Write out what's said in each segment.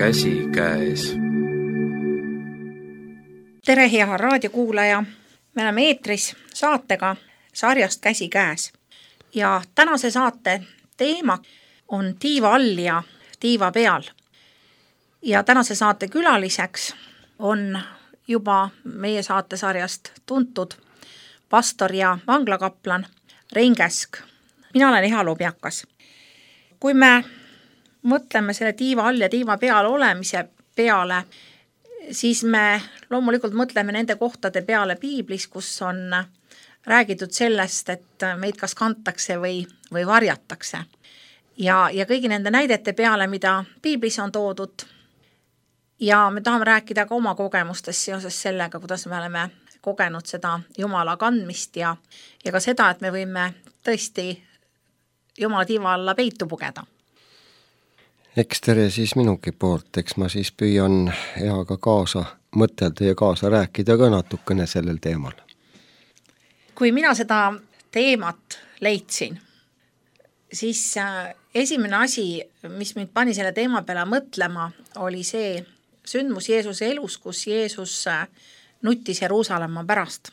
Käsi käes. Tere, hea raadiokuulaja! Me oleme eetris saatega sarjast Käsi käes. Ja tänase saate teema on tiiva all ja tiiva peal. Ja tänase saate külaliseks on juba meie saatesarjast tuntud pastor ja vanglakaplan Rein Käsk. Mina olen Eha Lobjakas. Kui me mõtleme selle tiiva all ja tiiva peal olemise peale, siis me loomulikult mõtleme nende kohtade peale piiblis, kus on räägitud sellest, et meid kas kantakse või varjatakse. Ja kõigi nende näidete peale, mida piiblis on toodud. Ja me tahame rääkida ka oma kogemustest seoses sellega, kuidas me oleme kogenud seda Jumala kandmist ja ka seda, et me võime tõesti Jumala tiiva alla peitu pugeda. Eks tere siis minugi poolt, eks ma siis püüan Eaga kaasa mõtelda ja kaasa rääkida ka natukene sellel teemal. Kui mina seda teemat leidsin, siis esimene asi, mis mind pani selle teema peale mõtlema, oli see sündmus Jeesuse elus, kus Jeesus nuttis Jeruusalemma pärast.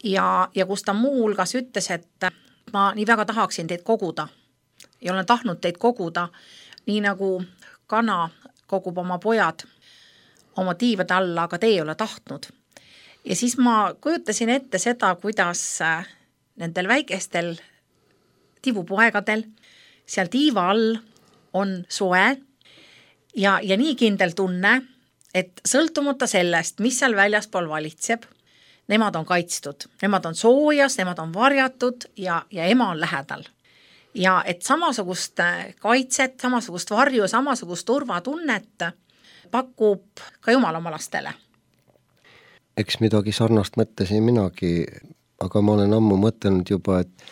Ja kus ta muu hulgas ütles, et ma nii väga tahaksin teid koguda ja olen tahtnud teid koguda, nii nagu kana kogub oma pojad oma tiivade alla, aga te ei ole tahtnud. Ja siis ma kujutasin ette seda, kuidas nendel väikestel tiivupoegadel seal tiiva all on soe ja nii kindel tunne, et sõltumata sellest, mis seal väljaspool valitseb, nemad on kaitstud, nemad on soojas, nemad on varjatud ja ema on lähedal. Ja et samasugust kaitset, samasugust varju, samasugust turvatunnet pakub ka Jumal oma lastele. Eks midagi sarnast mõtlesin minagi, aga ma olen ammu mõtelnud juba, et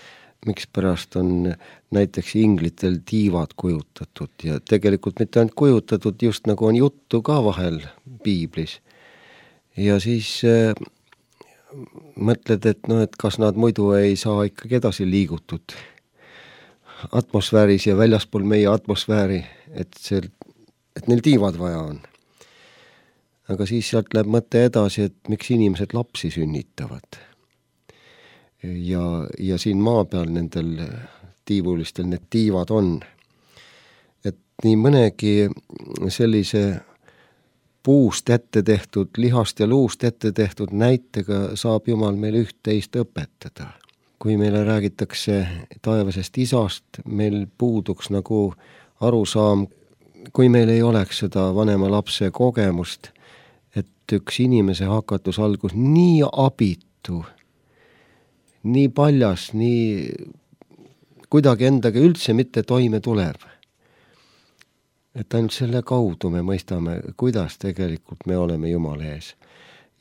mikspärast on näiteks inglitel tiivad kujutatud ja tegelikult mitte ainult kujutatud, just nagu on juttu ka vahel piiblis. Ja siis mõtled, et kas nad muidu ei saa ikkagi edasi liigutud atmosfääris ja väljaspool meie atmosfääri, et neil tiivad vaja on. Aga siis sealt läheb mõte edasi, et miks inimesed lapsi sünnitavad. Ja siin maa peal nendel tiivulistel need tiivad on. Et nii mõnegi sellise puust ette tehtud, lihast ja luust ette tehtud näitega saab Jumal meil üht-teist õpetada. Kui meile räägitakse taevasest isast, meil puuduks nagu arusaam, kui meil ei oleks seda vanema lapse kogemust, et üks inimese hakatus algus nii abitu, nii paljas, nii kuidagi endaga üldse mitte toime tuleb. Et ainult selle kaudu me mõistame, kuidas tegelikult me oleme Jumala ees.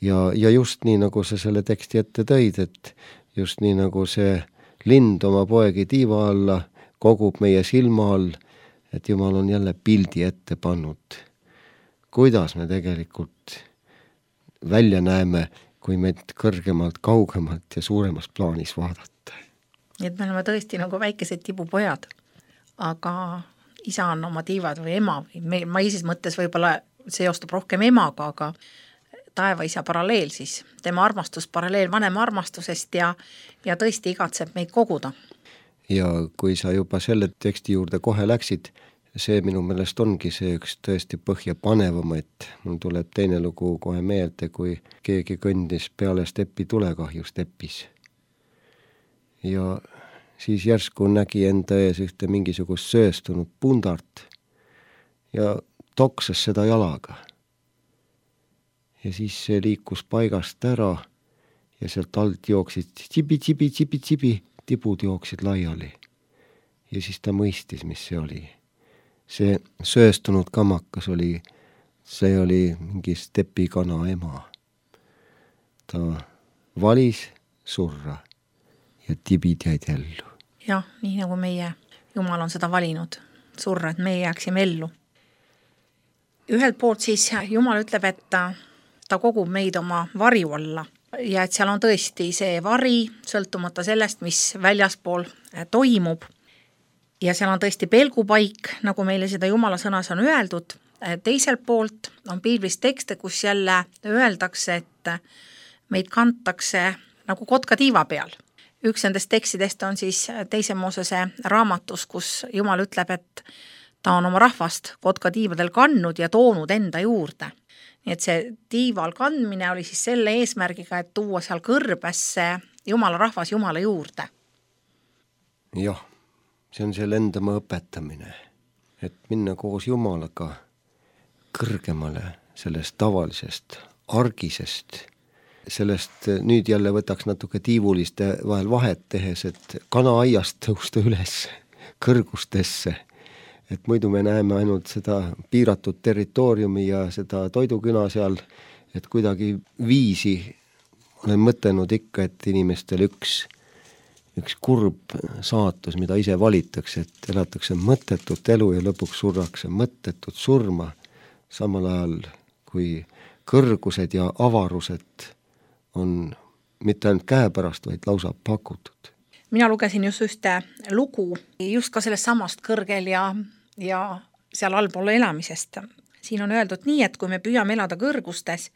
Ja just nii, nagu sa selle teksti ette tõid, et just nii nagu see lind oma poegi tiiva alla kogub meie silma all, et Jumal on jälle pildi ette pannud. Kuidas me tegelikult välja näeme, kui meid kõrgemalt, kaugemalt ja suuremas plaanis vaadata. Et me oleme tõesti nagu väikesed tibupojad, aga isa on oma tiivad või ema. Ma ises mõttes võib-olla seostub rohkem emaga, aga taeva isa paralleel siis, tema armastus paralleel vanema armastusest ja tõesti igatseb meid koguda. Ja kui sa juba selle teksti juurde kohe läksid, see minu meelest ongi see üks tõesti põhjapanevamaid. Mul tuleb teine lugu kohe meelde, kui keegi kõndis peale steppi tulekahju stepis. Ja siis järsku nägi enda ees ühte mingisugust sööstunud pundart ja toksas seda jalaga. Ja siis see liikus paigast ära ja sealt alt jooksid tsibi, tibud jooksid laiali. Ja siis ta mõistis, mis see oli. See sööstunud kamakas oli, see oli mingi stepikana ema. Ta valis surra ja tibid jäid ellu. Jah, nii nagu meie Jumal on seda valinud, surra, et meie jääksime ellu. Ühelt poolt siis Jumal ütleb, et ta kogub meid oma varju alla ja et seal on tõesti see vari, sõltumata sellest, mis väljaspool toimub. Ja seal on tõesti pelgupaik, nagu meile seda Jumala sõnas on öeldud, teiselt poolt on piiblis tekste, kus jälle öeldakse, et meid kantakse nagu kotka tiiva peal. Üks nendest tekstidest on siis Teise Moosese raamatus, kus Jumal ütleb, et ta on oma rahvast kotka tiivadel kandnud ja toonud enda juurde. Nii et see tiival kandmine oli siis selle eesmärgiga, et tuua seal kõrbesse Jumala rahvas Jumala juurde. Jah, see on selle endamaa õpetamine, et minna koos Jumalaga kõrgemale sellest tavalisest, argisest, sellest nüüd jälle võtaks natuke tiivuliste vahel vahet tehes, et kanaaiast tõusta üles kõrgustesse, et muidu me näeme ainult seda piiratud territooriumi ja seda toiduküna seal, et kuidagi viisi olen mõtelnud ikka, et inimestel üks kurb saatus, mida ise valitakse, et elatakse mõttetut elu ja lõpuks surrakse mõttetut surma, samal ajal kui kõrgused ja avarused on mitte ainult käepärast, vaid lausa pakutud. Mina lugesin just ühte lugu just ka sellest samast kõrgel ja seal allpool elamisest. Siin on öeldud nii, et kui me püüame elada kõrgustes,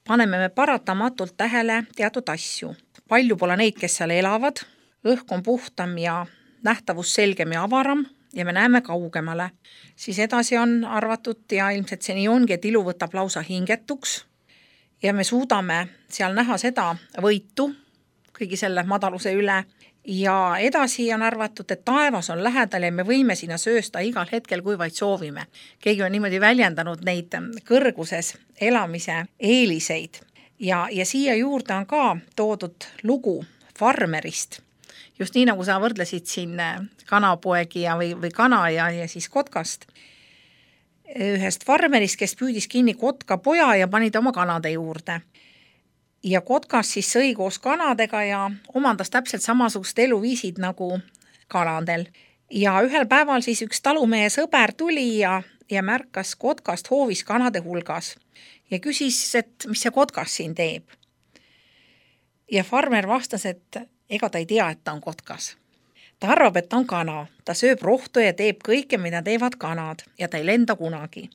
paneme me paratamatult tähele teatud asju. Palju pole neid, kes seal elavad, õhk on puhtam ja nähtavus selgem ja avaram ja me näeme kaugemale. Siis edasi on arvatud ja ilmselt see nii ongi, et ilu võtab lausa hingetuks ja me suudame seal näha seda võitu kõigi selle madaluse üle ja edasi on arvatud, et taevas on lähedal ja me võime sinna söösta igal hetkel, kui vaid soovime. Keegi on niimoodi väljendanud neid kõrguses elamise eeliseid ja siia juurde on ka toodud lugu farmerist. Just nii, nagu sa võrdlesid siin kanapoegi või kana ja siis kotkast. Ühest farmerist, kes püüdis kinni kotka poja ja pani ta oma kanade juurde. Ja kotkas siis sõi koos kanadega ja omandas täpselt samasugust eluviisid nagu kanadel. Ja ühel päeval siis üks talumehe sõber tuli ja märkas kotkast hoovis kanade hulgas ja küsis, et mis see kotkas siin teeb. Ja farmer vastas, et ega ta ei tea, et ta on kotkas. Ta arvab, et ta on kana. Ta sööb rohtu ja teeb kõike, mida teevad kanad ja ta ei lenda kunagi.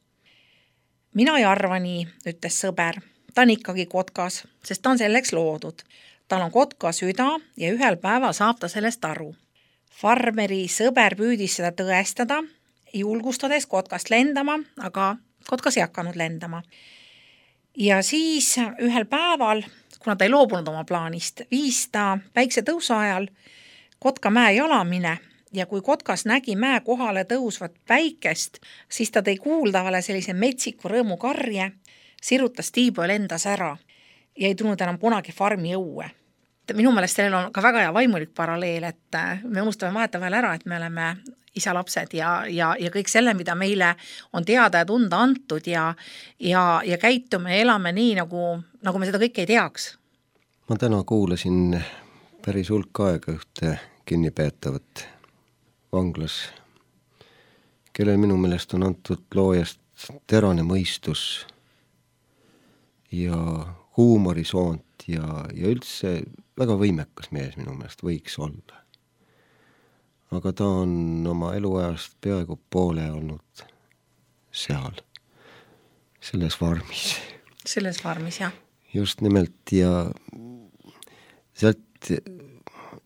Mina ei arva nii, ütles sõber. Ta on ikkagi kotkas, sest ta on selleks loodud. Tal on kotka süda ja ühel päeval saab ta sellest aru. Farmeri sõber püüdis seda tõestada, julgustades kotkast lendama, aga kotkas ei hakanud lendama. Ja siis ühel päeval, kuna ta ei loobunud oma plaanist, viis ta päikse tõusu ajal kotka mäe jalamine ja kui kotkas nägi mäe kohale tõusvat päikest, siis ta tõi kuuldavale sellise metsiku rõõmu karje, sirutas tiibu ja lendas ära ja ei tulnud enam kunagi farmi õue. Minu meelest sellel on ka väga hea vaimulik paralleel, et me unustame vahetevahel ära, et me oleme isa lapsed ja kõik selle, mida meile on teada ja tunda antud ja käitume ja elame nii, nagu me seda kõike ei teaks. Ma täna kuulasin päris hulk aega ühte kinnipeetavat vanglas, kellel minu meelest on antud loojast terane mõistus ja huumorisoont ja üldse väga võimekas mees minu meelest võiks olla. Aga ta on oma eluajast peaaegu poole olnud seal, selles farmis. Selles farmis, jah. Just nimelt ja sealt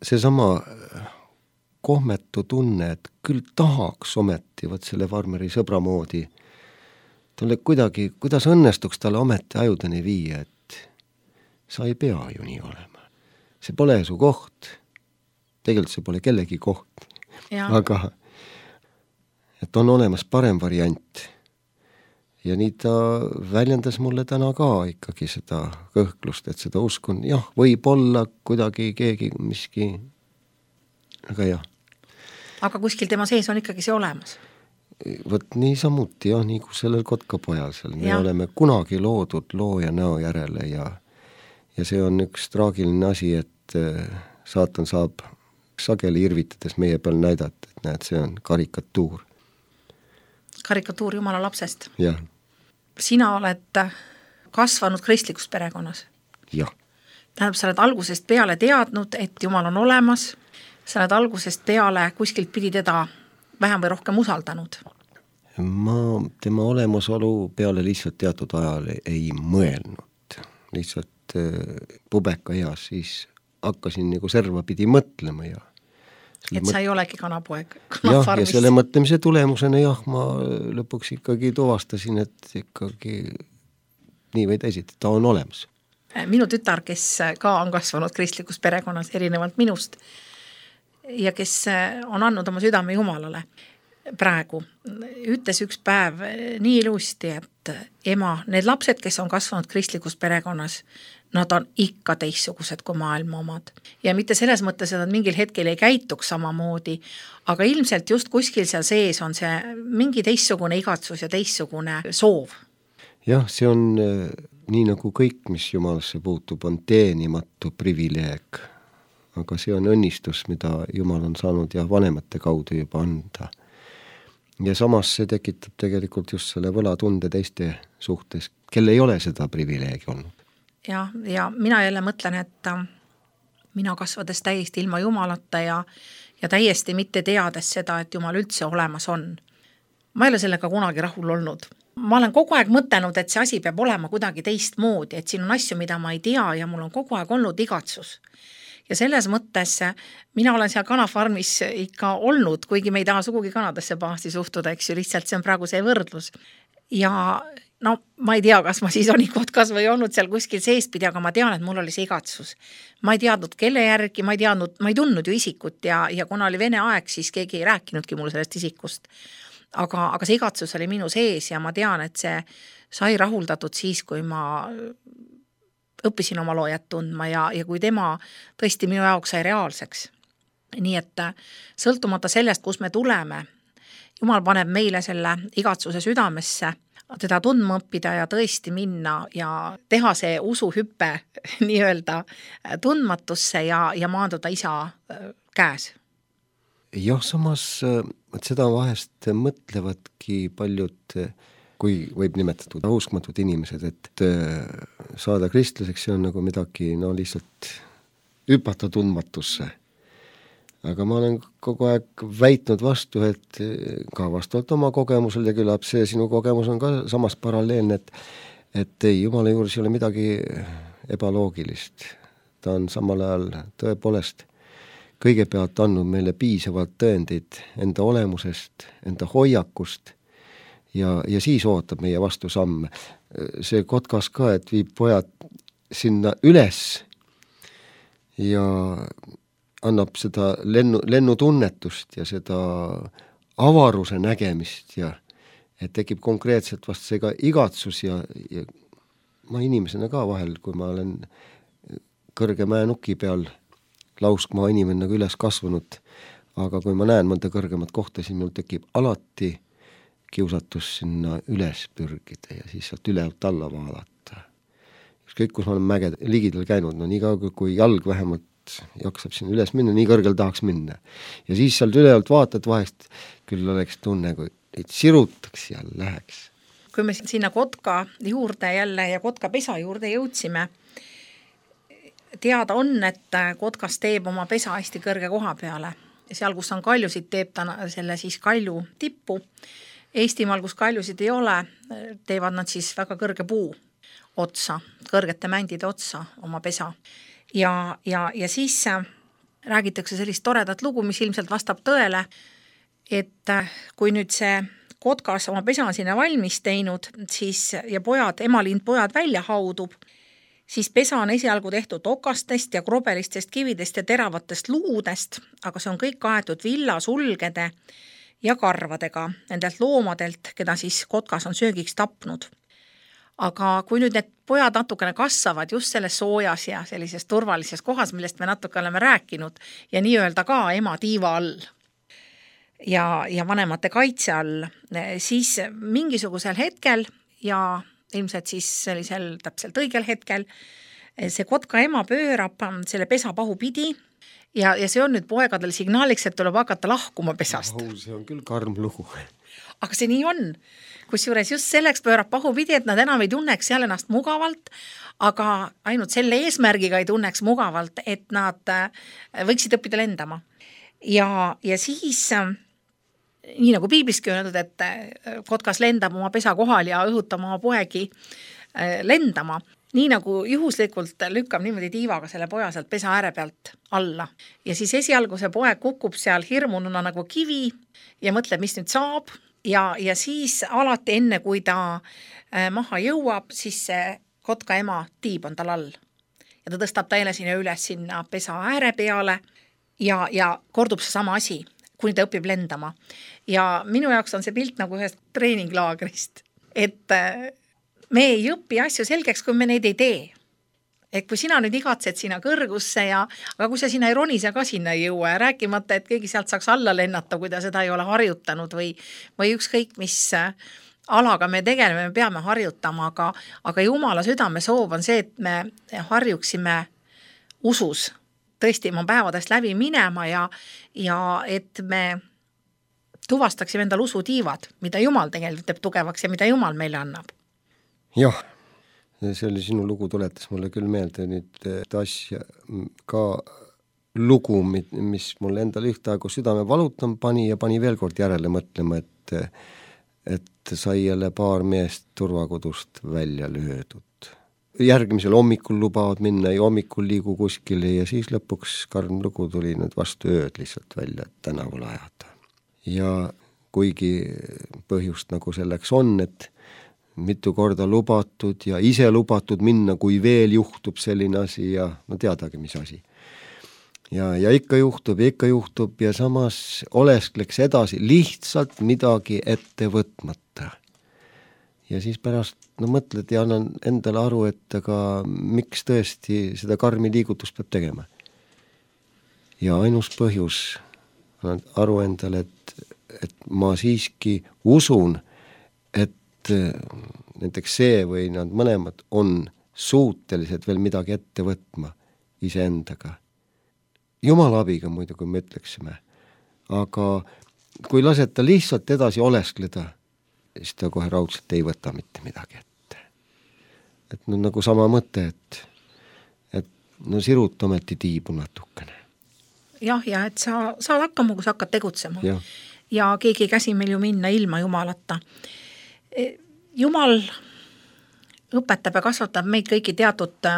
seesama kohmetu tunne, et küll tahaks ometi võt selle farmeri sõbra moodi talle kuidagi, kuidas õnnestuks talle ometi ajudeni viia, et sa ei pea ju nii olema. See pole su koht. Tegelikult see pole kellegi koht. Aga et on olemas parem variant. Ja nii ta väljendas mulle täna ka ikkagi seda kõhklust, et seda uskun, jah, võib olla kuidagi keegi miski, aga jah. Aga kuskil tema sees on ikkagi see olemas? Võt nii samuti, jah, nii kui sellel kotkapojal seal. Me oleme kunagi loodud looja näo järele ja see on üks traagiline asi, et saatan saab sageli irvitades meie peal näidata, et näed, see on karikatuur. Karikatuur Jumala lapsest? Jah. Sina oled kasvanud kristlikus perekonnas? Jah. Tähendab, sa oled algusest peale teadnud, et Jumal on olemas, sa oled algusest peale kuskilt pidi teda vähem või rohkem usaldanud? Ma tema olemasolu peale lihtsalt teatud ajal ei mõelnud. Lihtsalt pubeka eas siis hakkasin nagu servapidi mõtlema ja sa ei olegi kanapoeg jah, ja selle mõtlemise tulemusena ma lõpuks ikkagi tuvastasin, et ikkagi nii või teisiti, ta on olemas. Minu tütar, kes ka on kasvanud kristlikus perekonnas erinevalt minust ja kes on andnud oma südame Jumalale praegu, ütles üks päev nii ilusti, et ema, need lapsed, kes on kasvanud kristlikus perekonnas, nad on ikka teistsugused kui maailma omad. Ja mitte selles mõttes, et nad mingil hetkel ei käituks samamoodi, aga ilmselt just kuskil seal sees on see mingi teistsugune igatsus ja teistsugune soov. Jah, see on nii nagu kõik, mis Jumalasse puutub, on teenimatu privileeg. Aga see on õnnistus, mida Jumal on saanud ja vanemate kaudu juba anda. Ja samas see tekitab tegelikult just selle võlatunde teiste suhtes, kel ei ole seda privileegi olnud. Ja mina jälle mõtlen, et mina kasvades täiesti ilma Jumalata ja täiesti mitte teades seda, et Jumal üldse olemas on. Ma ei ole sellega kunagi rahul olnud. Ma olen kogu aeg mõtelnud, et see asi peab olema kuidagi teistmoodi, et siin on asju, mida ma ei tea ja mul on kogu aeg olnud igatsus. Ja selles mõttes mina olen seal kanafarmis ikka olnud, kuigi me ei taha sugugi kanadesse pahasti suhtuda, eks ju, lihtsalt see on praegu see võrdlus. Ja no ma ei tea, kas ma siis olin kotkas või olnud seal kuskil seespidi, aga ma tean, et mul oli see igatsus. Ma ei teadnud, kelle järgi, ma ei tundnud ju isikut ja kuna oli Vene aeg, siis keegi ei rääkinudki mul sellest isikust. Aga see igatsus oli minu sees ja ma tean, et see sai rahuldatud siis, kui ma õppisin oma loojat tundma ja kui tema tõesti minu jaoks sai reaalseks. Nii et sõltumata sellest, kus me tuleme, Jumal paneb meile selle igatsuse südamesse, teda tundma õppida ja tõesti minna ja teha see usuhüppe nii-öelda tundmatusse ja maanduda isa käes. Jah, samas seda vahest mõtlevadki paljud, kui võib nimetatud uskmatud inimesed, et saada kristlaseks, see on nagu midagi lihtsalt hüpata tundmatusse. Aga ma olen kogu aeg väitnud vastu, et ka vastavalt oma kogemusel ja küllap see sinu kogemus on ka samas paralleelne, et ei, Jumala juures ei ole midagi ebaloogilist. Ta on samal ajal tõepoolest kõigepealt andnud meile piisavalt tõendid enda olemusest, enda hoiakust ja siis ootab meie vastu samme. See kotkas ka, et viib pojad sinna üles ja annab seda lennutunnetust ja seda avaruse nägemist ja et tekib konkreetselt vast see ka igatsus ja ma inimesena ka vahel, kui ma olen kõrge mäenuki peal lauskmaa inimene nagu üles kasvanud, aga kui ma näen mõnda kõrgemat kohta, siis mul tekib alati kiusatus sinna üles pürgida ja siis sealt ülevalt alla vaadata. Ükskõik, kus ma olen mäged ligidal käinud, nii kaua kui jalg vähemalt jaksab sinna üles minna, nii kõrgel tahaks minna. Ja siis sealt ülevalt vaatad vahest, küll oleks tunne, kui sirutaks ja läheks. Kui me sinna kotka juurde jälle ja kotka pesa juurde jõudsime, teada on, et kotkas teeb oma pesa hästi kõrge koha peale. Seal, kus on kaljusid, teeb ta selle siis kalju tippu. Eestimaal, kus kaljusid ei ole, teevad nad siis väga kõrge puu otsa, kõrgete mändide otsa oma pesa. Ja siis räägitakse sellist toredat lugu, mis ilmselt vastab tõele, et kui nüüd see kotkas oma pesa sinna valmis teinud, siis ja emalind pojad välja haudub, siis pesa on esialgu tehtud okastest ja krobelistest kividest ja teravatest luudest, aga see on kõik kaetud villasulgede ja karvadega nendelt loomadelt, keda siis kotkas on söögiks tapnud. Aga kui nüüd need pojad natukene kasvavad just selles soojas ja sellises turvalises kohas, millest me natuke oleme rääkinud ja nii-öelda ka ema tiiva all ja vanemate kaitse all, siis mingisugusel hetkel ja ilmselt siis sellisel täpselt õigel hetkel see kotka ema pöörab selle pesa pahupidi ja see on nüüd poegadel signaaliks, et tuleb hakata lahkuma pesast. See on küll karm lugu. Aga see nii on. Kusjuures just selleks pöörab pahupidi, et nad enam ei tunneks seal ennast mugavalt, aga ainult selle eesmärgiga ei tunneks mugavalt, et nad võiksid õppida lendama. Ja siis nii nagu piibliski öeldud, et kotkas lendab oma pesa kohal ja õhutab oma poegi lendama, nii nagu juhuslikult lükkab niimoodi tiivaga selle poja sealt pesa ääre pealt alla. Ja siis esialgu see poeg kukub seal hirmununa nagu kivi ja mõtleb, mis nüüd saab ja siis alati enne, kui ta maha jõuab, siis see kotka ema tiib on tal all. Ja ta tõstab ta jälle sinna üles sinna pesa ääre peale ja kordub see sama asi, kuni ta õpib lendama. Ja minu jaoks on see pilt nagu ühest treeninglaagrist, et me ei õpi asju selgeks, kui me neid ei tee. Et kui sina nüüd igatsed sinna kõrgusse aga kui sa sinna ei ronise ka sinna ei jõua ja rääkimata, et keegi sealt saaks alla lennata, kui ta seda ei ole harjutanud või ükskõik mis alaga me tegeleme, me peame harjutama, aga Jumala südame soov on see, et me harjuksime usus tõesti oma päevadest läbi minema ja et me tuvastaksime endal usutiivad, mida Jumal tegelikult teeb tugevaks ja mida Jumal meile annab. Jah, see oli sinu lugu, tuletas mulle küll meelde nüüd asja ka lugu, mis mulle endale ühtaegu südame valutama pani ja pani veel kord järele mõtlema, et sai jälle paar meest turvakodust välja löödud. Järgmisel hommikul lubavad minna ja hommikul liigu kuskile ja siis lõpuks karm lugu tuli nüüd vastu ööd lihtsalt välja tänavale ajada. Ja kuigi põhjust nagu selleks on, et mitu korda lubatud ja ise lubatud minna, kui veel juhtub selline asi ja no teadagi, mis asi. Ja ikka juhtub ja samas oleskleks edasi lihtsalt midagi ette võtmata. Ja siis pärast mõtled ja annan endale aru, et aga miks tõesti seda karmi liigutust peab tegema. Ja ainus põhjus annan aru endale, et ma siiski usun, et näiteks see või nad mõlemad on suutelised veel midagi ette võtma iseendaga. Jumala abiga muidu, kui me ütleksime. Aga kui laseta lihtsalt edasi oleskleda, siis ta kohe raudselt ei võta mitte midagi ette. Et no nagu sama mõte, et no sirut ometi tiibu natukene. Jah, ja et sa saad hakkama, kui sa hakkad tegutsema. Ja keegi käsi meil ju minna ilma Jumalata. Jumal õpetab ja kasvatab meid kõiki teatud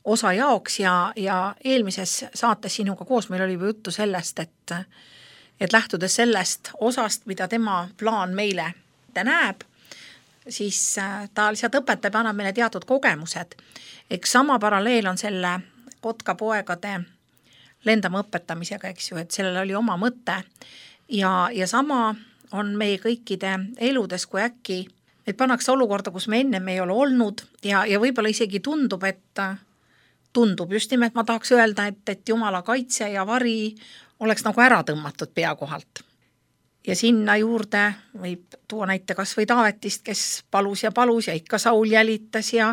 osa jaoks ja eelmises saates sinuga koos meil oli juttu sellest, et lähtudes sellest osast, mida tema plaan meile näeb, siis ta lihtsalt õpetab ja annab meile teatud kogemused. Eks sama paralleel on selle kotkapoegade lendama õpetamisega, eks ju, et sellel oli oma mõte ja sama on meie kõikide eludes, kui äkki et pannakse olukorda, kus me enne ei ole olnud ja võib-olla isegi tundub just nimelt, ma tahaks öelda, et Jumala kaitse ja vari oleks nagu ära tõmmatud pea kohalt. Ja sinna juurde võib tuua näite kas või Taavetist, kes palus ja ikka Saul jälitas ja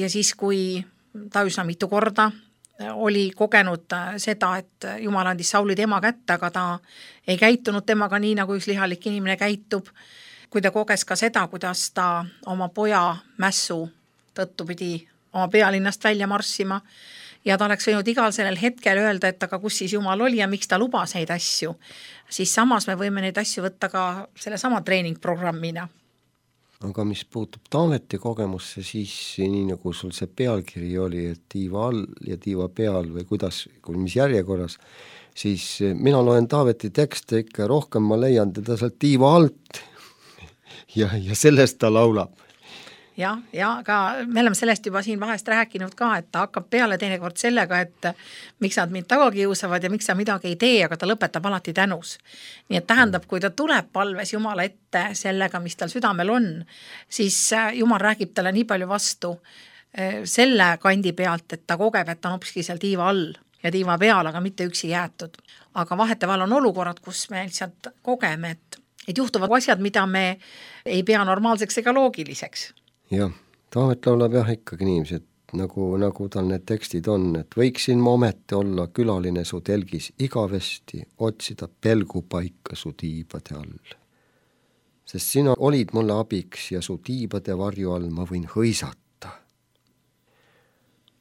siis, kui ta üsna mitu korda oli kogenud seda, et Jumal andis Sauli tema kätte, aga ta ei käitunud temaga nii, nagu üks lihalik inimene käitub, kui ta koges ka seda, kuidas ta oma poja mässu tõttu pidi oma pealinnast välja marssima ja ta oleks võinud igal sellel hetkel öelda, et aga kus siis Jumal oli ja miks ta lubas neid asju, siis samas me võime neid asju võtta ka selle sama treeningprogrammina. Aga mis puutub Taaveti kogemusse, siis nii nagu sul see pealkiri oli, et tiiva all ja tiiva peal või mis järjekorras, siis mina loen Taaveti tekste ikka rohkem, ma leian teda sealt tiiva alt ja sellest ta laulab. Ja aga me oleme sellest juba siin vahest rääkinud ka, et ta hakkab peale teinekord sellega, et miks nad mind taga kiusavad ja miks sa midagi ei tee, aga ta lõpetab alati tänus. Nii et tähendab, kui ta tuleb palves Jumala ette sellega, mis tal südamel on, siis Jumal räägib talle nii palju vastu selle kandi pealt, et ta kogeb, et ta on hopski seal tiiva all ja tiiva peal, aga mitte üksi jäetud. Aga vaheteval on olukorrad, kus me lihtsalt kogeme, et juhtuvad asjad, mida me ei pea normaalseks ega loogiliseks. Jah, Taavet laulab ikkagi niiviisi, et nagu tal need tekstid on, et võiksin ma ometi olla külaline su telgis igavesti, otsida pelgupaika su tiibade all. Sest sina olid mulle abiks ja su tiibade varju all ma võin hõisata.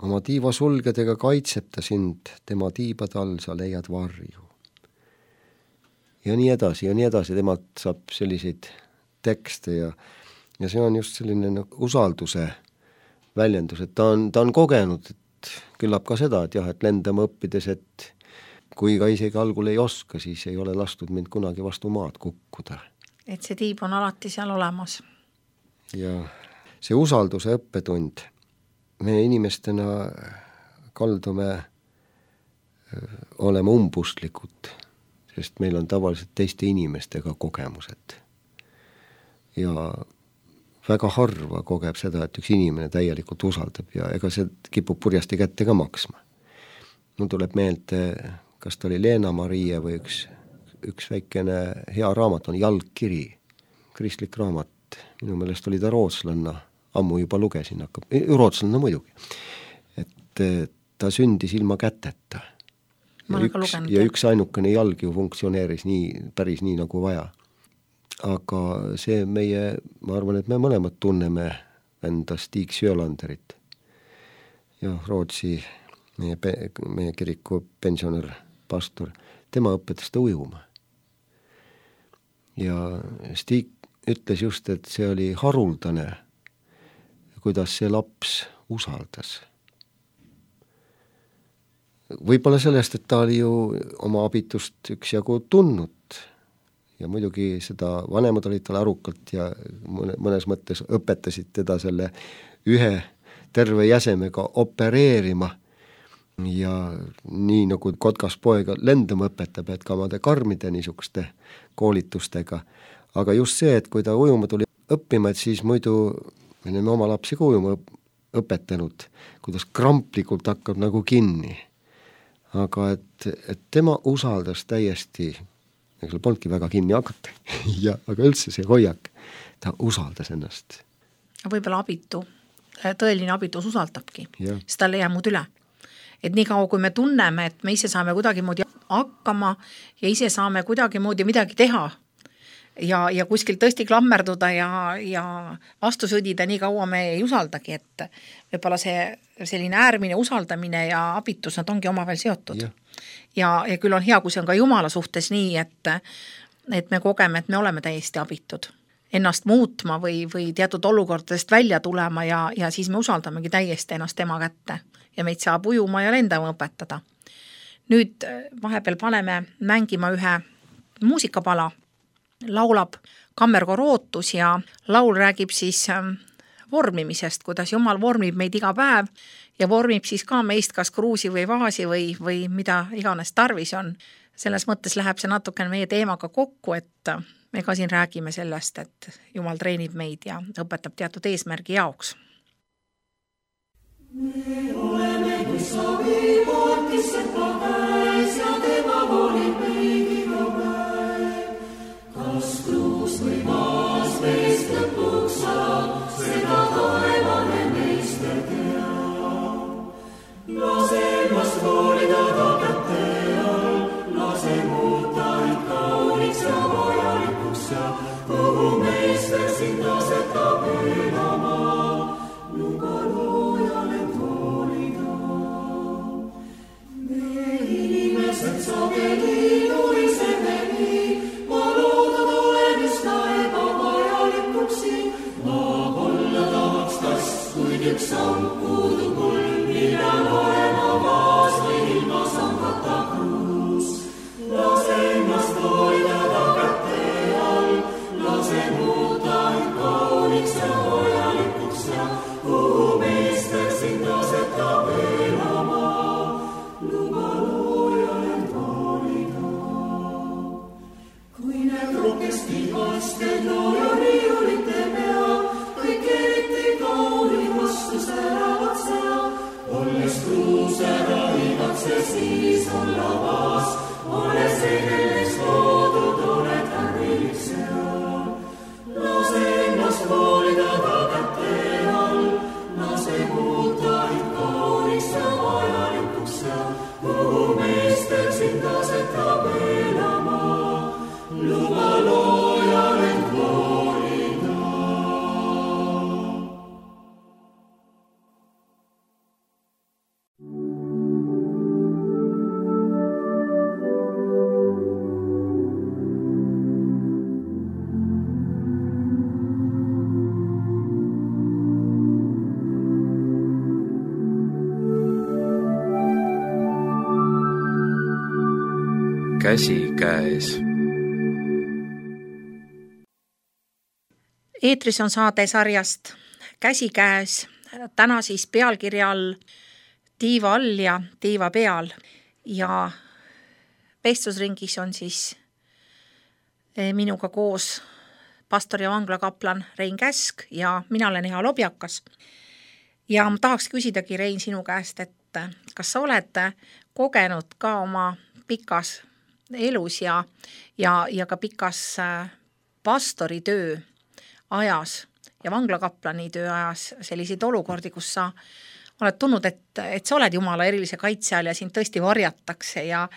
Oma tiiva sulgedega kaitseb ta sind, tema tiibade all sa leiad varju. ja nii edasi, temalt saab selliseid tekste ja see on just selline usalduse väljendus, et ta on kogenud, et küllap ka seda, et jah, et lendama õppides, et kui ka isegi algul ei oska, siis ei ole lastud mind kunagi vastu maad kukkuda. Et see tiib on alati seal olemas. Ja see usalduse õppetund, me inimestena kaldume olema umbustlikud, sest meil on tavaliselt teiste inimestega kogemused. Ja väga harva kogeb seda, et üks inimene täielikult usaldab ja ega see kipub purjasti kätte ka maksma. Mul tuleb meelde, kas ta oli Leena-Marie või üks väikene hea raamat on Jalgkiri, kristlik raamat, minu meelest oli ta rootslanna, ammu juba lugesin, rootslanna muidugi, et ta sündis ilma käteta. Ja üks ainukene jalg ju funktsioneeris päris nii nagu vaja. Aga see ma arvan, et me mõlemad tunneme enda Stig Sjölanderit ja Rootsi meie kiriku pensionär, pastor, tema õpetas ta ujuma. Ja Stig ütles just, et see oli haruldane, kuidas see laps usaldas. Võib-olla sellest, et ta oli ju oma abitust üksjagu tundnud ja muidugi seda vanemad olid tal arukalt ja mõnes mõttes õpetasid teda selle ühe terve jäsemega opereerima ja nii nagu kotkas poega lendama õpetab, et ka omade karmide niisuguste koolitustega. Aga just see, et kui ta ujuma tuli õppima, et siis muidu me oleme oma lapsi ka ujuma õpetanud, kuidas kramplikult hakkab nagu kinni. Aga et tema usaldas täiesti, ega seal polnudki väga kinni hakata, aga üldse see hoiak, ta usaldas ennast. Võib-olla tõeline abitus usaldabki, sest tal ei jää muud üle. Et nii kaua, kui me tunneme, et me ise saame kuidagi moodi hakkama ja ise saame kuidagi moodi midagi teha ja kuskil tõesti klammerduda ja vastu sõdida, nii kaua me ei usaldagi, et võib-olla selline äärmine usaldamine ja abitus, nad ongi omavahel seotud. Ja küll on hea, kui see on ka Jumala suhtes nii, et me kogeme, et me oleme täiesti abitud ennast muutma või teatud olukordadest välja tulema ja siis me usaldamegi täiesti ennast tema kätte ja meid saab ujuma ja lendama õpetada. Nüüd vahepeal paneme mängima ühe muusikapala, laulab kammerkoor Ootus ja laul räägib siis vormimisest, kuidas Jumal vormib meid iga päev ja vormib siis ka meist kas kruusi või vaasi või mida iganes tarvis on. Selles mõttes läheb see natukene meie teemaga kokku, et me ka siin räägime sellest, et Jumal treenib meid ja õpetab teatud eesmärgi jaoks. Me oleme kui savipood, kes seppa käes ja tema volib meid iga päev. Kas kruus või maas meist lõpuks saab, seda taevane meister teab. Lase ennast hoolida ta kätte all, lase muuta end kauniks ja vajalikuks ja kuhu meister sind asetab elama. Luba loojal end hoolida. Me inimesed sageli nuriseme nii, ma loodud olen üsna ebavajalikuks siin. Ma olla tahaks kas, kuid üks samm puudub mul, millal olema vaas või ilma sangata kruus. Lase ennast hoida ta kätte all, lase muuta end kauniks ja vajalikuks ja kuhu meister sind asetab elama. Luba loojal end hoolida. Kui need rukesti vasted looja riiulite pea, kõik eriti kauni vastu säravad sea. Olles kruus ära igatse siis olla vaas, olles edelest loodud, oled härilik seal. Lase ennast hoolida ta kätte all, lase muuta end kauniks ja vajalikuks ja kuhu meister sind asetab elama. Luba loojal end hoolida. käsikäes. Eetris on saade sarjast Käsikäes, täna siis pealkirja all Tiiva all ja tiiva peal ja vestlusringis on siis minuga koos pastor ja vanglakaplan Rein Käsk ja mina olen Eha Lobjakas. Ja ma tahaks küsidagi, Rein, sinu käest, et kas sa oled kogenud ka oma pikas elus ja ka pikas pastoritöö ajas ja vanglakaplani töö ajas selliseid olukordi, kus sa oled tundnud, et sa oled Jumala erilise kaitse all ja sind tõesti varjatakse ja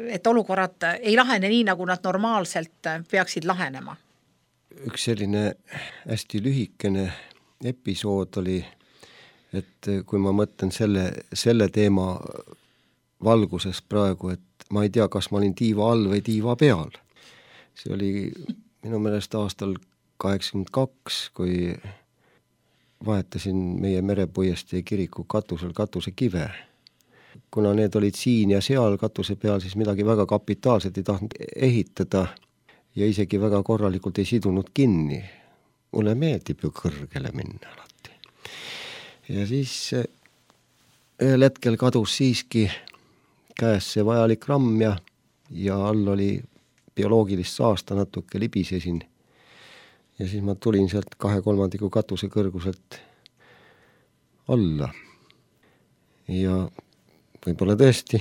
et olukorrad ei lahene nii, nagu nad normaalselt peaksid lahenema? Üks selline hästi lühikene episood oli, et kui ma mõtlen selle teema valguses praegu, et ma ei tea, kas ma olin tiiva all või tiiva peal. See oli minu meelest aastal 82, kui vahetasin meie Merepuiestee kiriku katusel katusekive. Kuna need olid siin ja seal katuse peal, siis midagi väga kapitaalselt ei tahtnud ehitada ja isegi väga korralikult ei sidunud kinni. Mulle meeldib ju kõrgele minna alati. Ja siis ühel hetkel kadus siiski käes see vajalik ramm ja all oli bioloogilist saasta, natuke libisesin. Ja siis ma tulin sealt 2/3 katuse kõrguselt alla. Ja võib-olla tõesti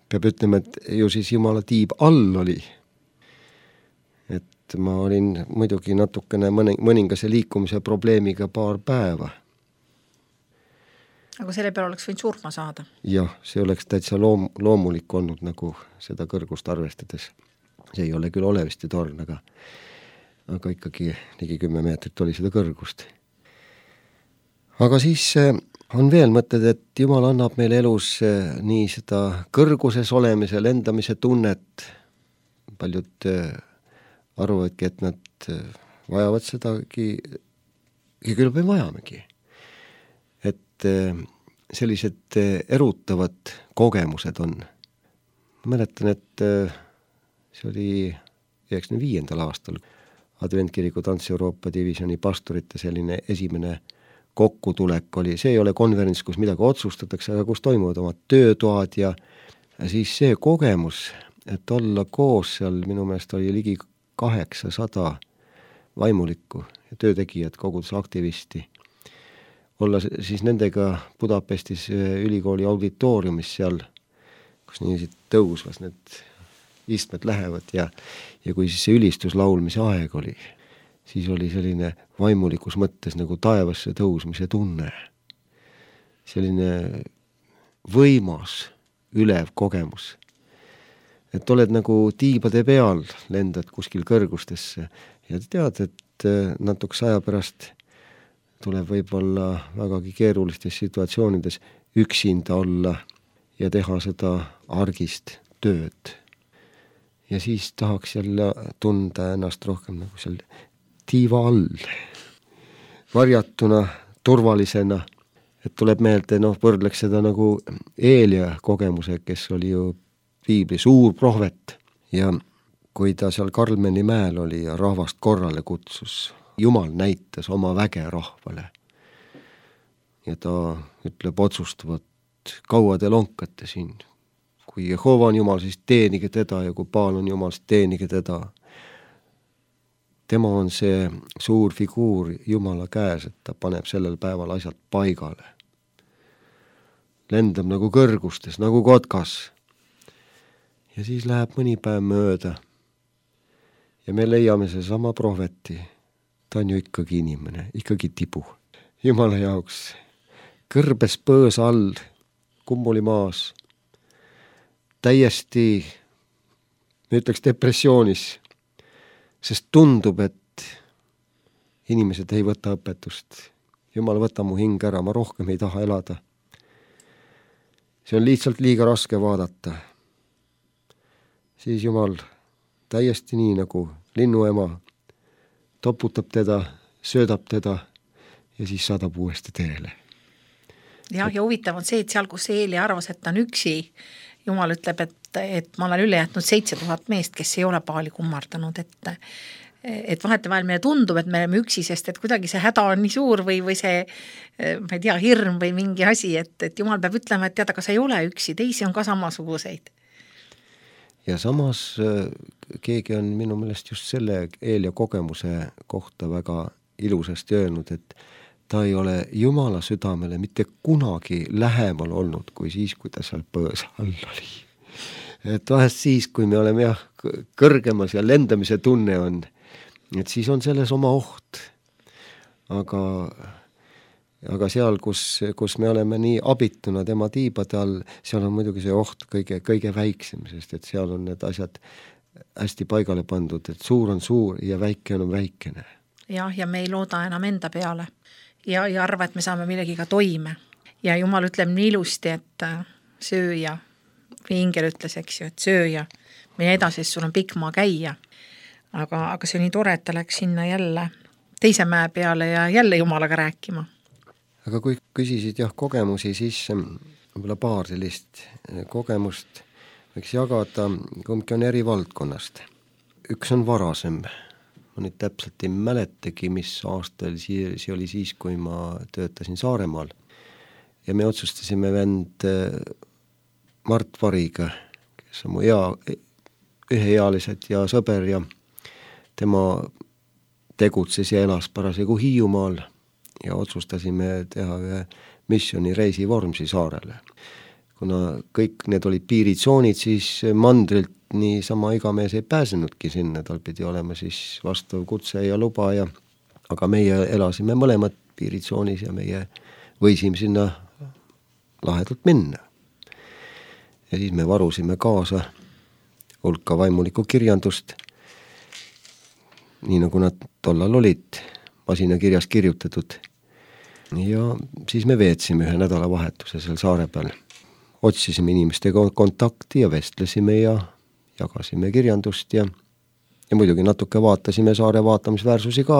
peab ütlema, et ju siis Jumala tiib all oli. Et ma olin muidugi natukene mõningase liikumise probleemiga paar päeva. Aga selle peale oleks võinud surma saada? Jah, see oleks täitsa loomulik olnud nagu seda kõrgust arvestades. See ei ole küll Oleviste torn, aga ikkagi ligi 10 meetrit oli seda kõrgust. Aga siis on veel mõtted, et Jumal annab meile elus nii seda kõrguses olemise, lendamise tunnet. Paljud arvavadki, et nad vajavad sedagi ja küll me vajamegi. Et sellised erutavad kogemused on. Ma mäletan, et see oli 95. aastal Adventkiriku Trans-Euroopa divisjoni pastorite selline esimene kokkutulek oli. See ei ole konverents, kus midagi otsustatakse, aga kus toimuvad omad töötoad ja siis see kogemus, et olla koos seal, minu meelest oli ligi 800 vaimulikku ja töötegijad, kogudusaktivisti. Olla siis nendega Budapestis ülikooli auditooriumis seal, kus niisid tõusvas need istmed lähevad ja kui siis see ülistuslaulmise aeg oli, siis oli selline vaimulikus mõttes nagu taevasse tõusmise tunne. Selline võimas, ülev kogemus. Et oled nagu tiibade peal, lendad kuskil kõrgustesse ja tead, et natukese aja pärast tuleb võib-olla vägagi keerulistes situatsioonides üksinda olla ja teha seda argist tööd. Ja siis tahaks jälle tunda ennast rohkem nagu seal tiiva all, varjatuna, turvalisena, et tuleb meelde, võrdleks seda nagu Eelia kogemuse, kes oli ju piibli suur prohvet ja kui ta seal Karmeli mäel oli ja rahvast korrale kutsus, Jumal näitas oma väge rahvale ja ta ütleb otsustavat, kaua te lonkate siin. Kui Jehova on Jumal, siis teenige teda ja kui Baal on Jumal, siis teenige teda. Tema on see suur figuur Jumala käes, et ta paneb sellel päeval asjad paigale. Lendab nagu kõrgustes, nagu kotkas. Ja siis läheb mõni päev mööda ja me leiame see sama prohveti. Ta on ju ikkagi inimene, ikkagi tibu. Jumala jaoks kõrbes põõs all, kummuli maas. Täiesti, ma ütleks depressioonis, sest tundub, et inimesed ei võta õpetust. Jumal, võta mu hing ära, ma rohkem ei taha elada. See on lihtsalt liiga raske vaadata. Siis Jumal täiesti nii nagu linnuema toputab teda, söödab teda ja siis saadab uuesti teele. Ja huvitav on see, et seal, kus Eeli arvas, et ta on üksi, Jumal ütleb, et et ma olen üle jätnud 7000 meest, kes ei ole paali kummardanud, et vahetevahel meile tundub, et me oleme üksi, sest et kuidagi see häda on nii suur või see, ma ei tea, hirm või mingi asi, et Jumal peab ütlema, et tead, aga sa ei ole üksi, teisi on ka samasuguseid. Ja samas keegi on minu meelest just selle Eelia kogemuse kohta väga ilusasti öelnud, et ta ei ole Jumala südamele mitte kunagi lähemal olnud kui siis, kui ta seal põõsa all oli. Et vahest siis, kui me oleme kõrgemas ja lendamise tunne on, et siis on selles oma oht. Aga seal, kus me oleme nii abituna tema tiibade all, seal on muidugi see oht kõige väiksem, sest et seal on need asjad hästi paigale pandud, et suur on suur ja väike on väikene. Ja me ei looda enam enda peale ja arva, et me saame millegiga toime. Ja Jumal ütleb nii ilusti, et sööja, või ingel ütles, eks ju, et sööja, mine edasi, sul on pikk maa käia. Aga see on nii tore, et ta läks sinna jälle teise mäe peale ja jälle Jumalaga rääkima. Aga kui küsisid kogemusi, siis võib-olla paar sellist kogemust võiks jagada, kumbki on eri valdkonnast. Üks on varasem. Ma nüüd täpselt ei mäletagi, mis aastal see oli siis, kui ma töötasin Saaremaal. Ja me otsustasime vend Mart Variga, kes on mu üheealised ja sõber ja tema tegutses ja elas parasjagu Hiiumaal ja otsustasime teha ühe missioonireisi Vormsi saarele. Kuna kõik need olid piiritsoonid, siis mandrilt nii sama igamees ei pääsenudki sinna, tal pidi olema siis vastav kutse ja luba aga meie elasime mõlemad piiritsoonis ja meie võisime sinna lahedalt minna. Ja siis me varusime kaasa hulka vaimulikku kirjandust, nii nagu nad tollal olid masinakirjas kirjutatud. Ja siis me veetsime ühe nädalavahetuse seal saare peal. Otsisime inimestega kontakti ja vestlesime ja jagasime kirjandust ja muidugi natuke vaatasime saare vaatamisväärsusi ka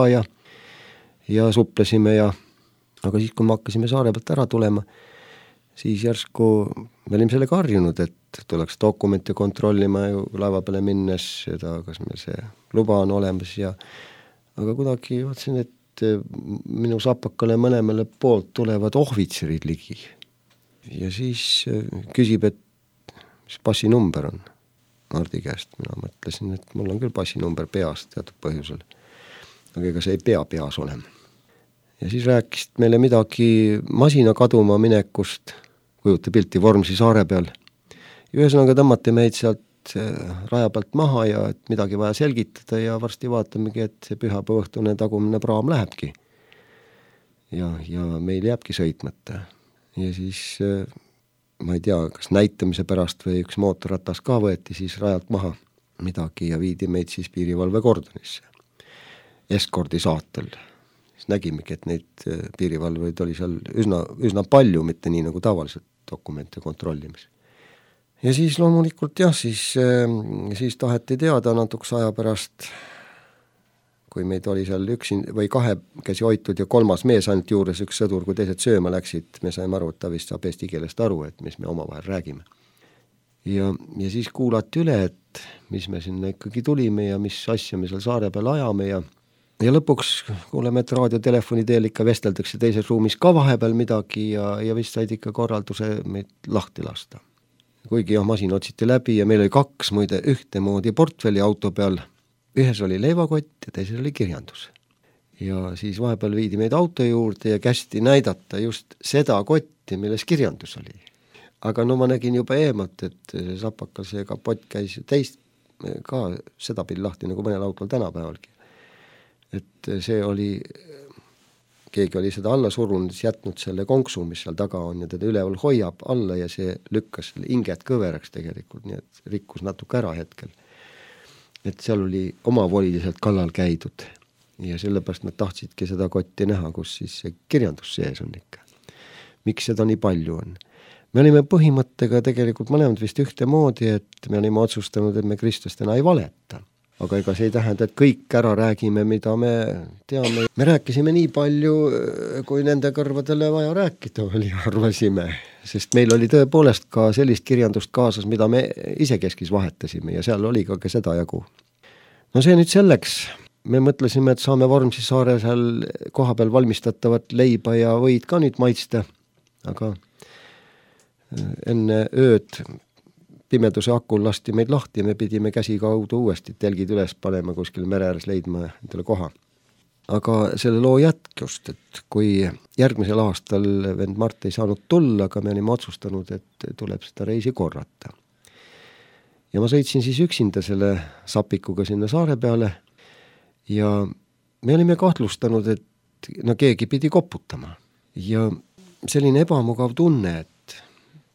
ja suplesime aga siis, kui me hakkasime saare pealt ära tulema, siis järsku me olime sellega harjunud, et tuleks dokumente kontrollima ju laeva peale minnes, seda, kas meil see luba on olemas aga kuidagi vaatasin, et minu sapakale mõlemale poolt tulevad ohvitserid ligi. Ja siis küsib, et mis passinumber on Mardi käest. Mina mõtlesin, et mul on küll passinumber peas teatud põhjusel. Aga ega see ei pea peas olema. Ja siis rääkisid meile midagi masina kaduma minekust, kujuta pilti Vormsi saare peal. Ja ühesõnaga tõmmati meid sealt raja pealt maha ja et midagi vaja selgitada ja varsti vaatamegi, et see pühapäevaõhtune tagumine praam lähebki. Ja meil jääbki sõitmata. Ja siis ma ei tea, kas näitamise pärast või üks mootorratas ka võeti siis rajalt maha midagi ja viidi meid siis piirivalve kordonisse. Eskordi saatel. Siis nägimegi, et neid piirivalveid oli seal üsna palju, mitte nii nagu tavaliselt dokumente kontrollimis. Ja siis loomulikult siis taheti teada natukese aja pärast, kui meid oli seal või kahekesi hoitud ja kolmas mees ainult juures üks sõdur, kui teised sööma läksid, me saime aru, et ta vist saab eesti keelest aru, et mis me omavahel räägime. Ja siis kuulati üle, et mis me sinna ikkagi tulime ja mis asja me seal saare peal ajame ja lõpuks kuuleme, et raadiotelefoni teel ikka vesteldakse teises ruumis ka vahepeal midagi ja vist said ikka korralduse meid lahti lasta. Kuigi masin otsiti läbi ja meil oli 2 muide ühtemoodi portfelli auto peal. Ühes oli leivakott ja teises oli kirjandus. Ja siis vahepeal viidi meid auto juurde ja kästi näidata just seda kotti, milles kirjandus oli. Aga ma nägin juba eemalt, et see sapakal see kapott käis teist ka seda pidi lahti nagu mõnel autol tänapäevalgi. Et see oli, keegi oli seda alla surunud, jätnud selle konksu, mis seal taga on ja teda üleval hoiab alla ja see lükkas inget kõveraks tegelikult, nii et rikkus natuke ära hetkel. Et seal oli omavoliliselt kallal käidud ja sellepärast nad tahtsidki seda kotti näha, kus siis see kirjandus sees on ikka. Miks seda nii palju on? Me olime põhimõttega tegelikult mõlemad vist ühtemoodi, et me olime otsustanud, et me kristlastena ei valeta. aga ega see ei tähenda, et kõik ära räägime, mida me teame. Me rääkisime nii palju, kui nende kõrvadele vaja rääkida oli, arvasime, sest meil oli tõepoolest ka sellist kirjandust kaasas, mida me isekeskis vahetasime ja seal oli ka seda jagu. No see nüüd selleks, me mõtlesime, et saame Vormsi saare seal kohapeal valmistatavat leiba ja võid ka nüüd maitsta, aga enne ööd pimeduse akul lasti meid lahti ja me pidime käsi kaudu uuesti telgid üles panema, kuskil mere ääres leidma endale koha. Aga selle loo jätkust, et kui järgmisel aastal vend Mart ei saanud tulla, aga me olime otsustanud, et tuleb seda reisi korrata. Ja ma sõitsin siis üksinda selle sapikuga sinna saare peale ja me olime kahtlustanud, et keegi pidi koputama. Ja selline ebamugav tunne, et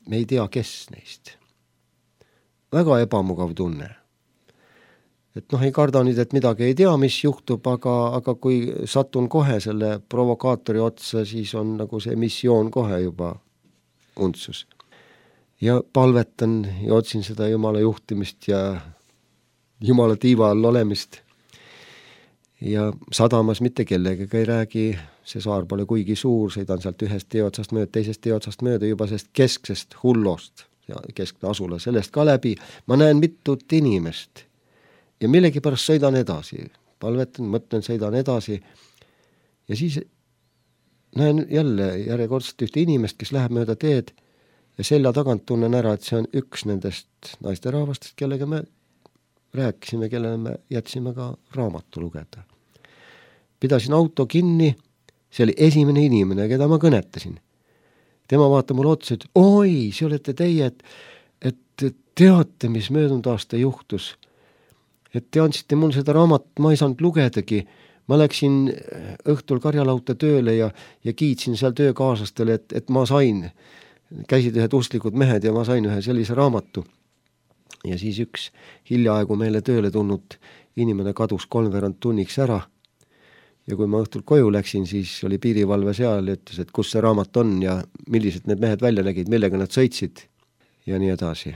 me ei tea, kes neist. Väga ebamugav tunne. Et ei karda nüüd, et midagi ei tea, mis juhtub, aga kui satun kohe selle provokaatori otsa, siis on nagu see missioon kohe juba untsus. Ja palvetan ja otsin seda Jumala juhtimist ja Jumala tiiva all olemist. Ja sadamas mitte kellegagi ei räägi, see saar pole kuigi suur, sõidan sealt ühest teeotsast mööda, teisest teeotsast mööda juba sest kesksest hullost. Ja keskne asula sellest ka läbi, ma näen mitut inimest ja millegipärast sõidan edasi, palvetan, mõtlen, sõidan edasi ja siis näen jälle järjekordselt ühte inimest, kes läheb mööda teed ja selja tagant tunnen ära, et see on üks nendest naisterahvastest, kellega me rääkisime, kellele me jätsime ka raamatu lugeda. Pidasin auto kinni, see oli esimene inimene, keda ma kõnetasin. Tema vaatab mulle otsa, et oi, see olete teie, et teate, mis möödunud aasta juhtus. Et te andsite mul seda raamat, ma ei saanud lugedagi. Ma läksin õhtul karjalauta tööle ja kiitsin seal töökaaslastele, et ma sain. Käisid ühed usklikud mehed ja ma sain ühe sellise raamatu. Ja siis üks hiljaaegu meile tööle tulnud inimene kadus 3/4 tunniks ära. Ja kui ma õhtul koju läksin, siis oli piirivalve seal ja ütles, et kus see raamat on ja millised need mehed välja nägid, millega nad sõitsid ja nii edasi.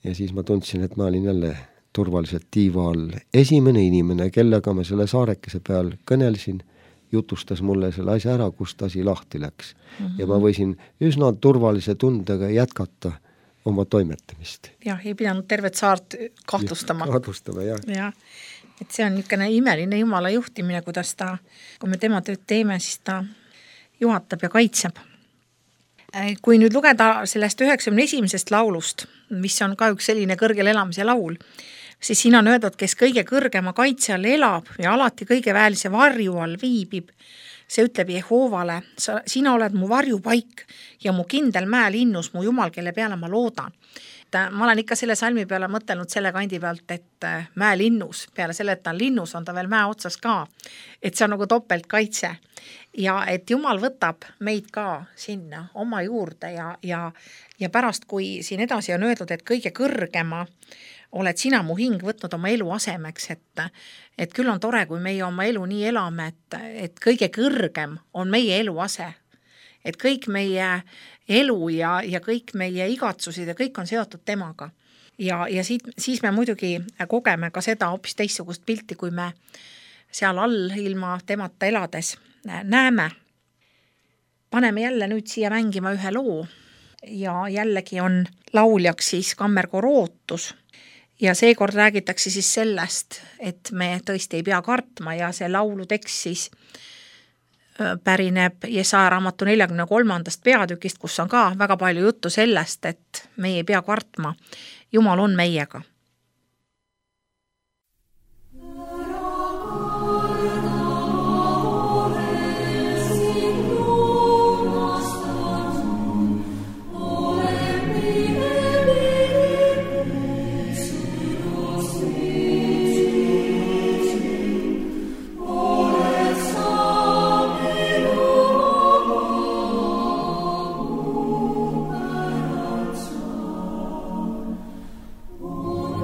Ja siis ma tundsin, et ma olin jälle turvaliselt tiiva all. Esimene inimene, kellega ma selle saarekese peal kõnelsin, jutustas mulle selle asja ära, kust asi lahti läks. Ja ma võisin üsna turvalise tundega jätkata oma toimetamist. Jah, ei pidanud tervet saart kahtlustama. Kahtlustama, jah. Et see on niisugune imeline Jumala juhtimine, kuidas ta, kui me tema tööd teeme, siis ta juhatab ja kaitseb. Kui nüüd lugeda sellest 91. laulust, mis on ka üks selline kõrgel elamise laul, siis siin on öeldud, kes kõige kõrgema kaitse all elab ja alati kõige väelise varju all viibib. See ütleb Jehoovale, sina oled mu varjupaik ja mu kindel mäelinnus, mu Jumal, kelle peale ma loodan. Ma olen ikka selle salmi peale mõtelnud selle kandi pealt, et mäelinnus, peale selle, et ta on linnus, on ta veel mäe otsas ka. Et see on nagu topeltkaitse. Ja et Jumal võtab meid ka sinna oma juurde ja pärast, kui siin edasi on öeldud, et kõige kõrgema oled sina mu hing võtnud oma elu asemeks, et küll on tore, kui meie oma elu nii elame, et kõige kõrgem on meie elu ase. Et kõik meie elu ja kõik meie igatsused ja kõik on seotud temaga. Ja siis me muidugi kogeme ka seda hoopis teistsugust pilti, kui me seal all ilma temata elades näeme. Paneme jälle nüüd siia mängima ühe loo ja jällegi on lauljaks siis kammerkoor Ootus. Ja seekord räägitakse siis sellest, et me tõesti ei pea kartma ja see laulu tekst siis pärineb Jesaja raamatu 43. peatükist, kus on ka väga palju juttu sellest, et me ei pea kartma. Jumal on meiega. Oh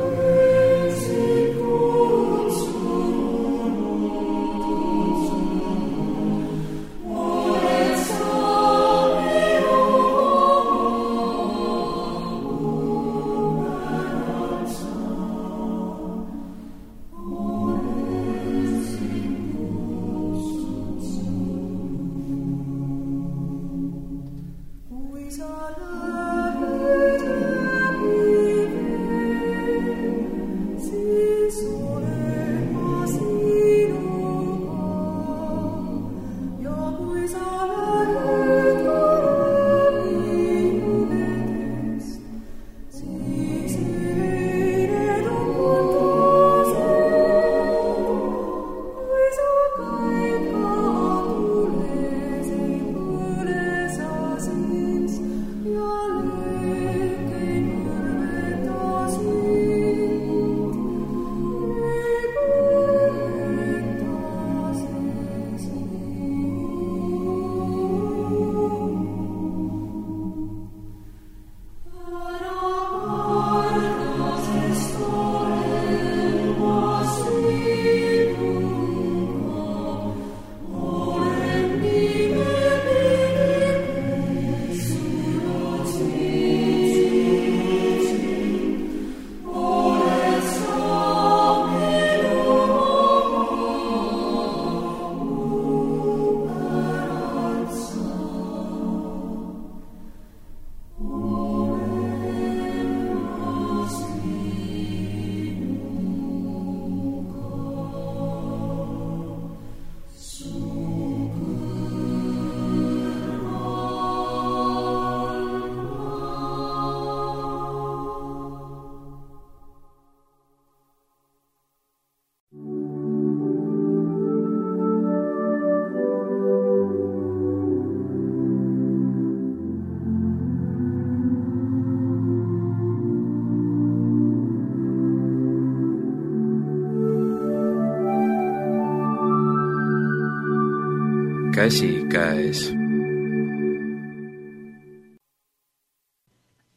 käsikäes.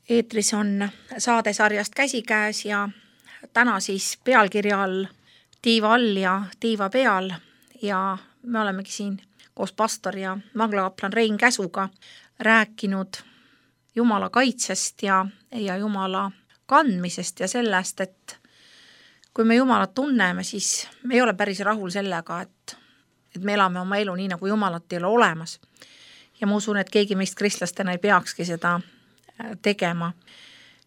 Eetris on saadesarjast Käsikäes ja täna siis pealkirja all Tiiva all ja tiiva peal ja me olemegi siin koos pastor ja vanglakaplan Rein Käsuga rääkinud Jumala kaitsest ja Jumala kandmisest ja sellest, et kui me Jumalat tunneme, siis me ei ole päris rahul sellega, et me elame oma elu nii, nagu Jumalat ei ole olemas. Ja ma usun, et keegi meist kristlastena ei peakski seda tegema,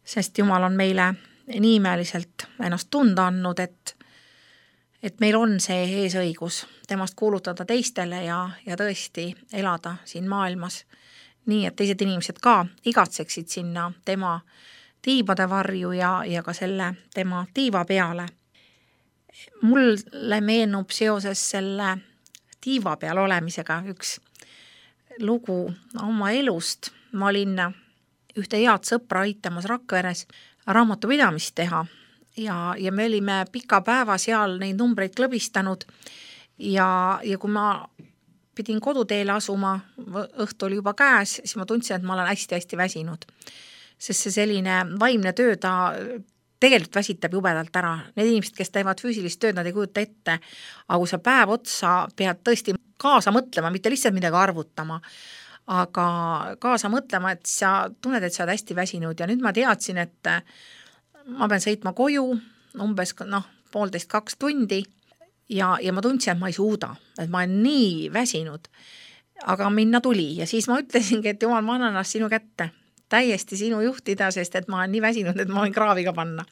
sest Jumal on meile nii imeliselt ennast tunda andnud, et meil on see eesõigus temast kuulutada teistele ja tõesti elada siin maailmas nii, et teised inimesed ka igatseksid sinna tema tiibade varju ja ka selle tema tiiva peale. Mulle meenub seoses selle tiiva peal olemisega üks lugu oma elust. Ma olin ühte head sõpra aitamas Rakveres raamatupidamist teha ja me olime pika päeva seal neid numbreid klõbistanud ja kui ma pidin koduteele asuma, õhtu oli juba käes, siis ma tundsin, et ma olen hästi-hästi väsinud. Sest see selline vaimne töö, ta tegelikult väsitab jubedalt ära. Need inimesed, kes teevad füüsilist tööd, nad ei kujuta ette, aga kui sa päev otsa pead tõesti kaasa mõtlema, mitte lihtsalt midagi arvutama, aga kaasa mõtlema, et sa tunned, et sa oled hästi väsinud ja nüüd ma teadsin, et ma pean sõitma koju umbes 1,5–2 tundi ja ma tundsin, et ma ei suuda, et ma olen nii väsinud, aga minna tuli ja siis ma ütlesingi, et Jumal, ma annan ennast sinu kätte, täiesti sinu juhtida, sest et ma olen nii väsinud, et ma võin kraaviga panna.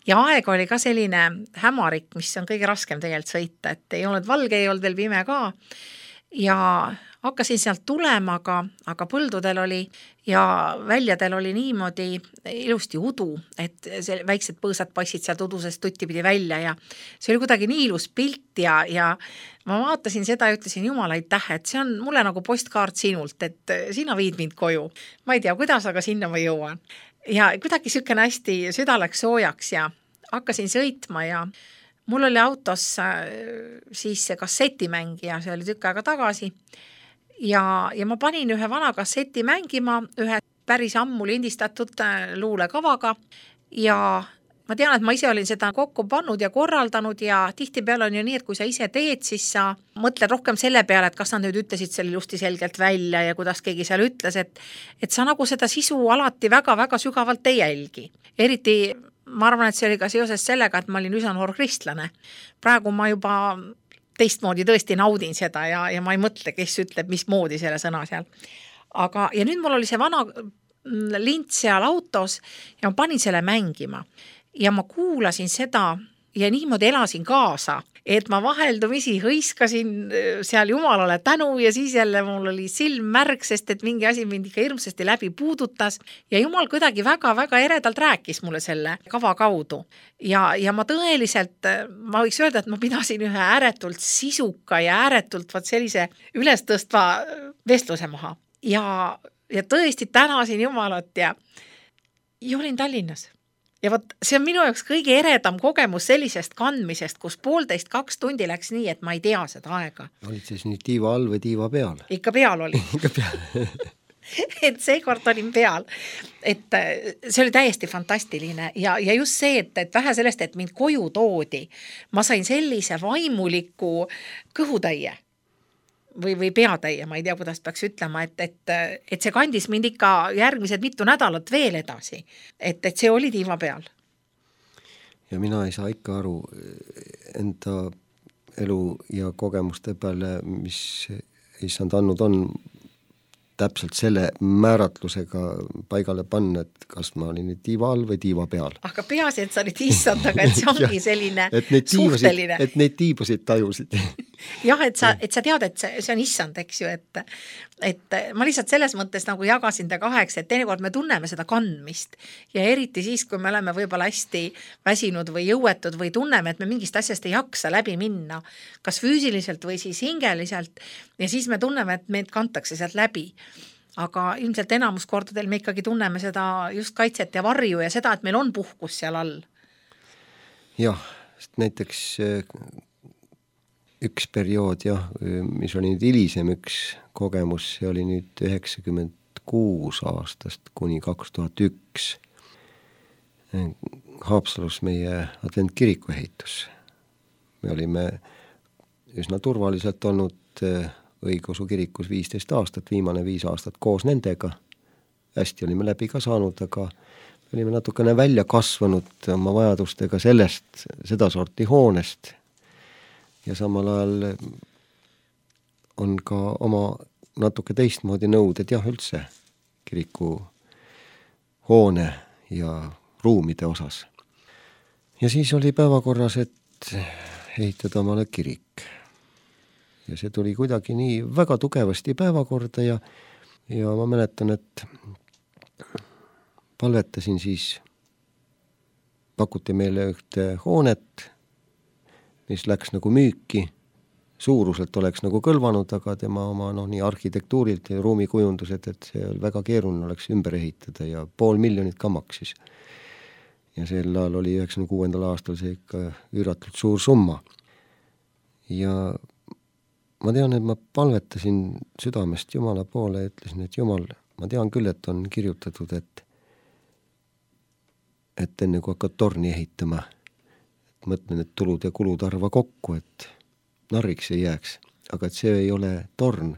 Ja aeg oli ka selline hämarik, mis on kõige raskem tegelikult sõita, et ei olnud valge, ei olnud veel pime ka ja hakkasin sealt tulema, aga põldudel oli ja väljadel oli niimoodi ilusti udu, et väiksed põõsad passid sealt udusest tutti pidi välja ja see oli kuidagi nii ilus pilt ja ma vaatasin seda ja ütlesin, Jumal, aitäh, et see on mulle nagu postkaart sinult, et sina viid mind koju. Ma ei tea, kuidas, aga sinna ma jõuan. Ja kuidagi sükene hästi süda läks soojaks ja hakkasin sõitma ja mul oli autos siis see kassetimängija, see oli tükk aega tagasi ja ma panin ühe vana kasseti mängima ühe päris ammu lindistatud luulekavaga ja ma tean, et ma ise olin seda kokku pannud ja korraldanud ja tihtipeale on ju nii, et kui sa ise teed, siis sa mõtled rohkem selle peale, et kas nad nüüd ütlesid selle ilusti selgelt välja ja kuidas keegi seal ütles, et sa nagu seda sisu alati väga-väga sügavalt ei jälgi. Eriti ma arvan, et see oli ka seoses sellega, et ma olin üsna noor kristlane. Praegu ma juba teistmoodi tõesti naudin seda ja ma ei mõtle, kes ütleb, mismoodi selle sõna seal. Ja nüüd mul oli see vana lint seal autos ja ma panin selle mängima ja ma kuulasin seda ja niimoodi elasin kaasa, et ma vaheldumisi hõiskasin seal Jumalale tänu ja siis jälle mul oli silm märg, sest et mingi asi mind ikka hirmsasti läbi puudutas ja Jumal kuidagi väga-väga eredalt rääkis mulle selle kava kaudu ja ma tõeliselt, ma võiks öelda, et ma pidasin ühe ääretult sisuka ja ääretult sellise ülestõstva vestluse maha ja tõesti tänasin Jumalat ja olin Tallinnas. Ja võt, see on minu jaoks kõige eredam kogemus sellisest kandmisest, kus 1,5–2 tundi läks nii, et ma ei tea seda aega. Olid siis nüüd tiiva all või tiiva peal? Ikka peal oli. Ikka peal. Et seekord olin peal. Et see oli täiesti fantastiline ja just see, et vähe sellest, et mind koju toodi, ma sain sellise vaimuliku kõhutäie või peatäie, ma ei tea, kuidas peaks ütlema, et see kandis mind ikka järgmised mitu nädalat veel edasi, et see oli tiiva peal. Ja mina ei saa ikka aru enda elu ja kogemuste peale, mis issand andnud on, täpselt selle määratlusega paigale panna, et kas ma olin tiiva all või tiiva peal. Aga peaasi, et sa olid issand, aga et see ongi selline suhteline. Et neid tiibusid tajusid. Jah, et sa tead, et see on issand, eks ju, et ma lihtsalt selles mõttes nagu jagasin ta kaheks, et teinekord me tunneme seda kandmist ja eriti siis, kui me oleme võib-olla hästi väsinud või jõuetud või tunneme, et me mingist asjast ei jaksa läbi minna, kas füüsiliselt või siis hingeliselt ja siis me tunneme, et meid kantakse sealt läbi. Aga ilmselt enamus kordadel me ikkagi tunneme seda just kaitset ja varju ja seda, et meil on puhkus seal all. Jah, näiteks üks periood jah, mis oli nüüd hilisem üks kogemus, see oli nüüd 96 aastast kuni 2001. Haapsalus meie adventkiriku ehitus. Me olime üsna turvaliselt olnud õigeusu kirikus 15 aastat, viimane 5 aastat koos nendega. Hästi olime läbi ka saanud, aga olime natukene välja kasvanud oma vajadustega sellest, seda sorti hoonest. Ja samal ajal on ka oma natuke teistmoodi nõuded jah üldse kiriku hoone ja ruumide osas. Ja siis oli päevakorras, et ehitada omale kirik. Ja see tuli kuidagi nii väga tugevasti päevakorda ja ma mäletan, et palvetasin siis, pakuti meile ühte hoonet, mis läks nagu müüki, suuruselt oleks nagu kõlvanud, aga tema oma nii arhitektuurilt ja ruumikujundused, et see väga keeruline oleks ümber ehitada ja 500 000 ka maksis. Ja sel ajal oli 96. aastal see ikka üüratult suur summa. Ja ma tean, et ma palvetasin südamest Jumala poole ja ütlesin, et Jumal, ma tean küll, et on kirjutatud, et enne kui hakkad torni ehitama, mõtlen, et tulud ja kulud arva kokku, et narriks ei jääks, aga et see ei ole torn,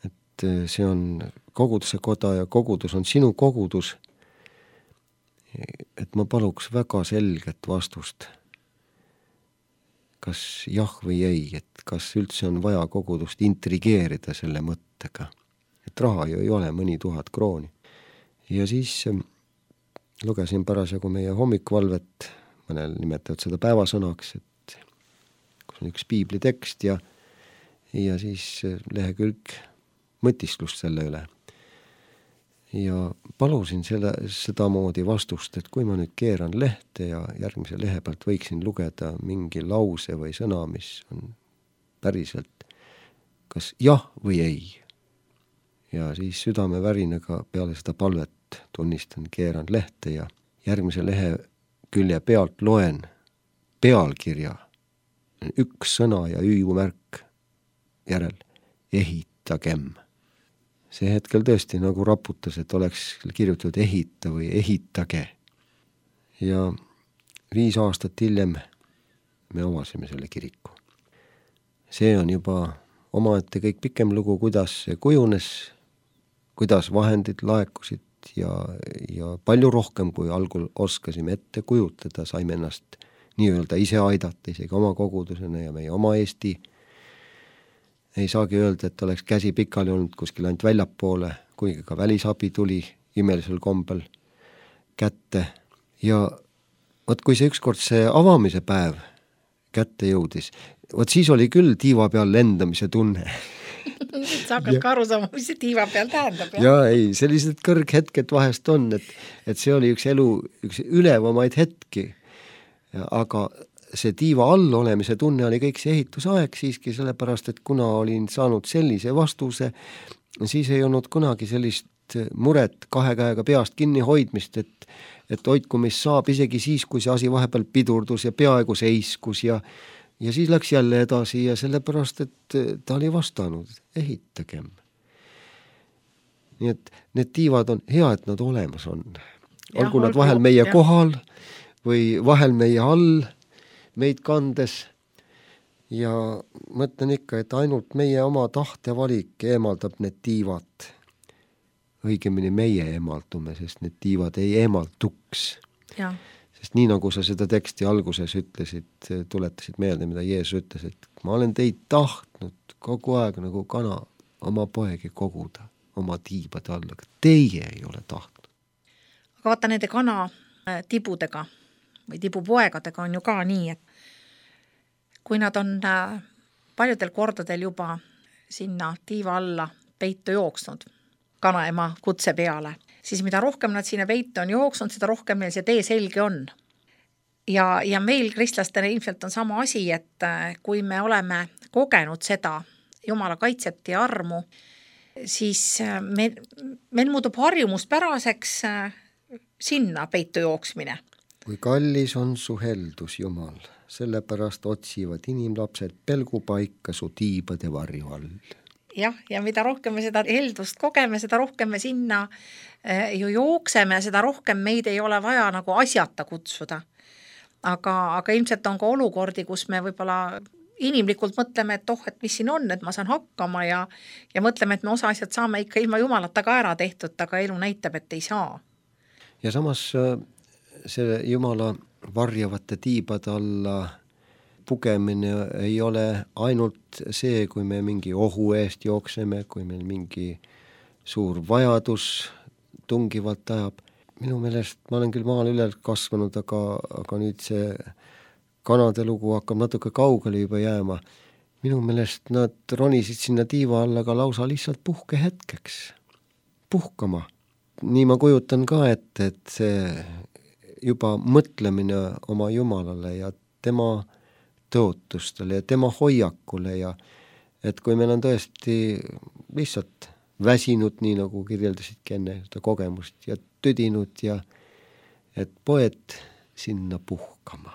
et see on koguduse koda ja kogudus on sinu kogudus, et ma paluks väga selget vastust, kas jah või ei, et kas üldse on vaja kogudust intrigeerida selle mõttega, et raha ju ei ole mõni 1000 krooni. Ja siis lugesin parasjagu meie hommikuvalvet, mõnel nimetavad seda päevasõnaks, et kus on üks piiblitekst ja siis lehekülg mõtisklust selle üle. Ja palusin sedamoodi vastust, et kui ma nüüd keeran lehte ja järgmise lehe pealt võiksin lugeda mingi lause või sõna, mis on päriselt kas jah või ei. Ja siis südamevärinaga peale seda palvet tunnistan, keeran lehte ja järgmise lehe külje pealt loen pealkirja, üks sõna ja hüüumärk järel, ehitagem. See hetkel tõesti nagu raputas, et oleks kirjutatud ehita või ehitage. Ja 5 aastat hiljem me avasime selle kiriku. See on juba omaette kõik pikem lugu, kuidas see kujunes, kuidas vahendid laekusid ja palju rohkem, kui algul oskasime ette kujutada, saime ennast nii-öelda ise aidata, isegi oma kogudusena ja meie oma Eesti. Ei saagi öelda, et oleks käsi pikali olnud kuskil ainult väljapoole, kuigi ka välisabi tuli imelisel kombel kätte. Ja võt, kui see ükskord see avamise päev kätte jõudis, võt siis oli küll tiiva peal lendamise tunne. Sa hakkad ka aru saama, mis see tiiva peal tähendab. Ja ei, sellised kõrghetked vahest on, et see oli üks ülevamaid hetki, aga see tiiva all olemise tunne oli kõik see ehitusaeg siiski, sellepärast, et kuna olin saanud sellise vastuse, siis ei olnud kunagi sellist muret 2 käega peast kinni hoidmist, et hoidku mis saab, isegi siis, kui see asi vahepeal pidurdus ja peaaegu seiskus ja siis läks jälle edasi ja sellepärast, et ta oli vastanud, ehitagem. Nii et need tiivad on hea, et nad olemas on. Olgu nad vahel meie kohal või vahel meie all, meid kandes ja mõtlen ikka, et ainult meie oma tahtevalik eemaldab need tiivad. Õigemini meie eemaldume, sest need tiivad ei eemalduks. Ja. Sest nii nagu sa seda teksti alguses ütlesid, tuletasid meelde, mida Jeesus ütles, et ma olen teid tahtnud kogu aeg nagu kana oma poegi koguda oma tiibade alla, aga teie ei ole tahtnud. Aga vaata nende kana tibudega või tibupoegadega on ju ka nii, et kui nad on paljudel kordadel juba sinna tiiva alla peitu jooksnud, kanaema kutse peale, siis mida rohkem nad sinna peitu on jooksnud, seda rohkem meil see tee selge on. Ja meil kristlastele ilmselt on sama asi, et kui me oleme kogenud seda Jumala kaitset ja armu, siis meil muutub harjumuspäraseks sinna peitu jooksmine. Kui kallis on su heldus, Jumal, sellepärast otsivad inimlapsed pelgupaika su tiibade varju all. Jah, ja mida rohkem me seda heldust kogeme, seda rohkem me sinna ju jookseme, seda rohkem meid ei ole vaja nagu asjata kutsuda. Aga ilmselt on ka olukordi, kus me võib-olla inimlikult mõtleme, et et mis siin on, et ma saan hakkama ja mõtleme, et me osa asjad saame ikka ilma Jumalata ka ära tehtud, aga elu näitab, et ei saa. Ja samas see Jumala varjavate tiibade alla pugemine ei ole ainult see, kui me mingi ohu eest jookseme, kui meil mingi suur vajadus tungivalt ajab. Minu meelest, ma olen küll maal üle kasvanud, aga nüüd see kanade lugu hakkab natuke kaugele juba jääma. Minu meelest nad ronisid sinna tiiva alla ka lausa lihtsalt puhkehetkeks. Puhkama. Nii ma kujutan ka, et see juba mõtlemine oma Jumalale ja tema tõotustele ja tema hoiakule ja et kui meil on tõesti lihtsalt väsinud, nii nagu kirjeldasidki enne seda kogemust ja tüdinud ja et poed sinna puhkama.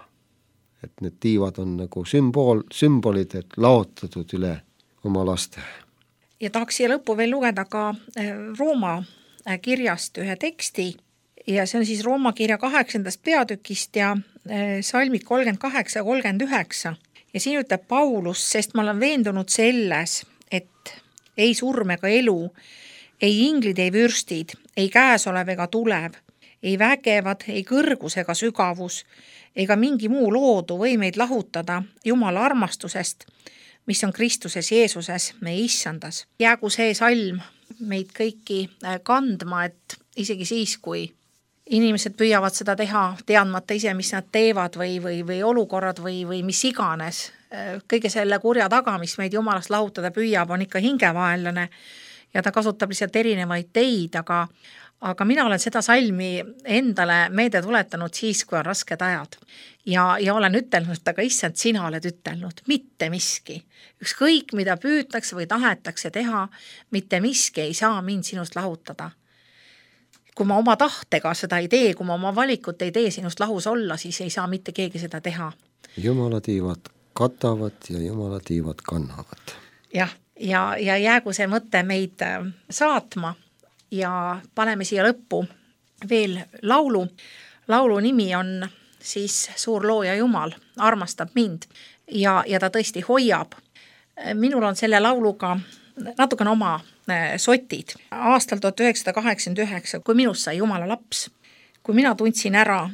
Et need tiivad on nagu sümbolid, et laotatud üle oma laste. Ja tahaks siia lõppu veel lugeda ka Rooma kirjast ühe teksti ja see on siis Rooma kirja 8. peatükist ja salmid 38 ja 39. Ja siin ütleb Paulus, sest ma olen veendunud selles, et ei surm ega elu, ei inglid, ei vürstid, ei käesolev ega tulev, ei vägevad, ei kõrgus ega sügavus, ega mingi muu loodu või meid lahutada Jumala armastusest, mis on Kristuses Jeesuses, meie issandas. Jäägu see salm meid kõiki kandma, et isegi siis, kui inimesed püüavad seda teha, teadmata ise, mis nad teevad või olukorrad või mis iganes. Kõige selle kurja taga, mis meid Jumalast lahutada püüab, on ikka hingevaenlane ja ta kasutab lihtsalt erinevaid teid, aga mina olen seda salmi endale meelde tuletanud siis, kui on rasked ajad. Ja olen ütelnud, aga issand, sina oled ütelnud, mitte miski. Ükskõik, mida püütakse või tahetakse teha, mitte miski ei saa mind sinust lahutada. Kui ma oma tahtega seda ei tee, kui ma oma valikut ei tee sinust lahus olla, siis ei saa mitte keegi seda teha. Jumala tiivad katavad ja Jumala tiivad kannavad. Jah, ja jäägu see mõte meid saatma ja paneme siia lõppu veel laulu. Laulu nimi on siis Suur looja Jumal, armastab mind ja ta tõesti hoiab. Minul on selle lauluga natukene oma sotid. Aastal 1989, kui minust sai Jumala laps, kui mina tundsin ära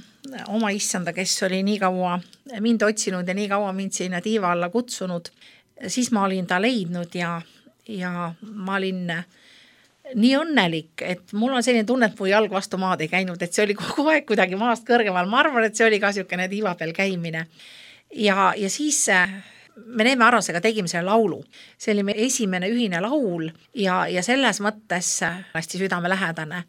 oma issanda, kes oli nii kaua mind otsinud ja nii kaua mind sinna tiiva alla kutsunud, siis ma olin ta leidnud ja ma olin nii õnnelik, et mul on selline tunne, et mu jalg vastu maad ei käinud, et see oli kogu aeg kuidagi maast kõrgemal. Ma arvan, et see oli ka niisugune tiiva peal käimine. Ja siis me Neeme Arrasega tegime selle laulu. See oli meie esimene ühine laul ja selles mõttes hästi südamelähedane.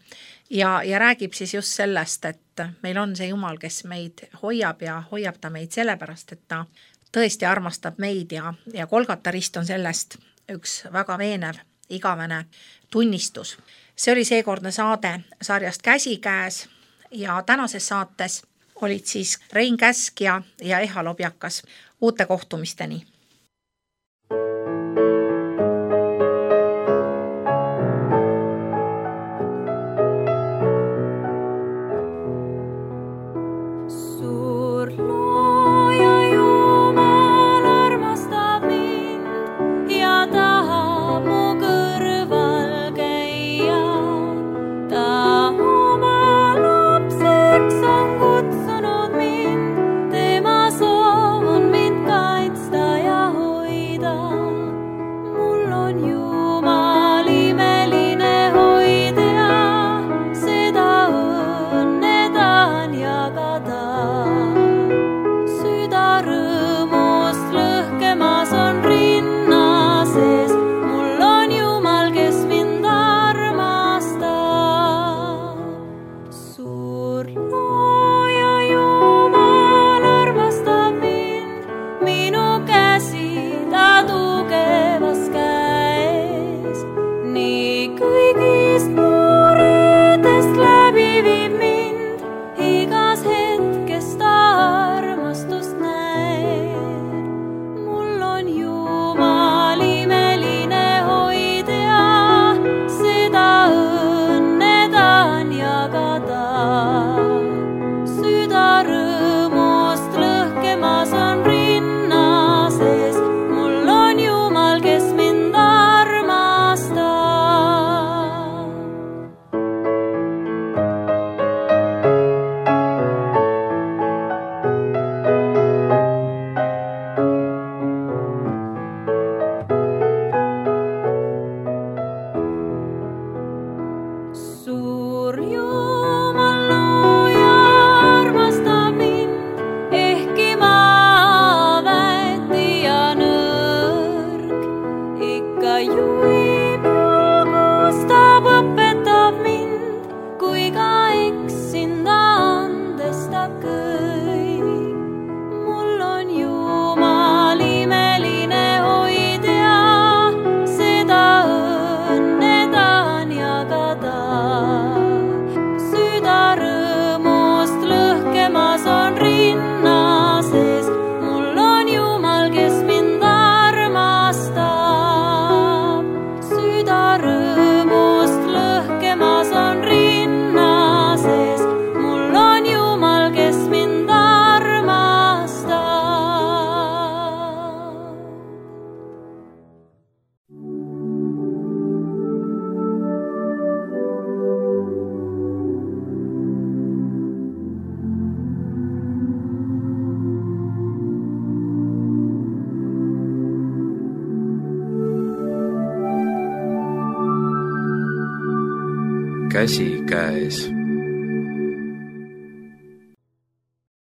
Ja räägib siis just sellest, et meil on see Jumal, kes meid hoiab ja hoiab ta meid sellepärast, et ta tõesti armastab meid ja Golgata rist on sellest üks väga veenev, igavene tunnistus. See oli seekordne saade sarjast Käsikäes ja tänases saates olid siis Rein Käsk ja Eha Lobjakas. Uute kohtumisteni! Kutsunud mind, tema soov on mind kaitsta ja käsi käes.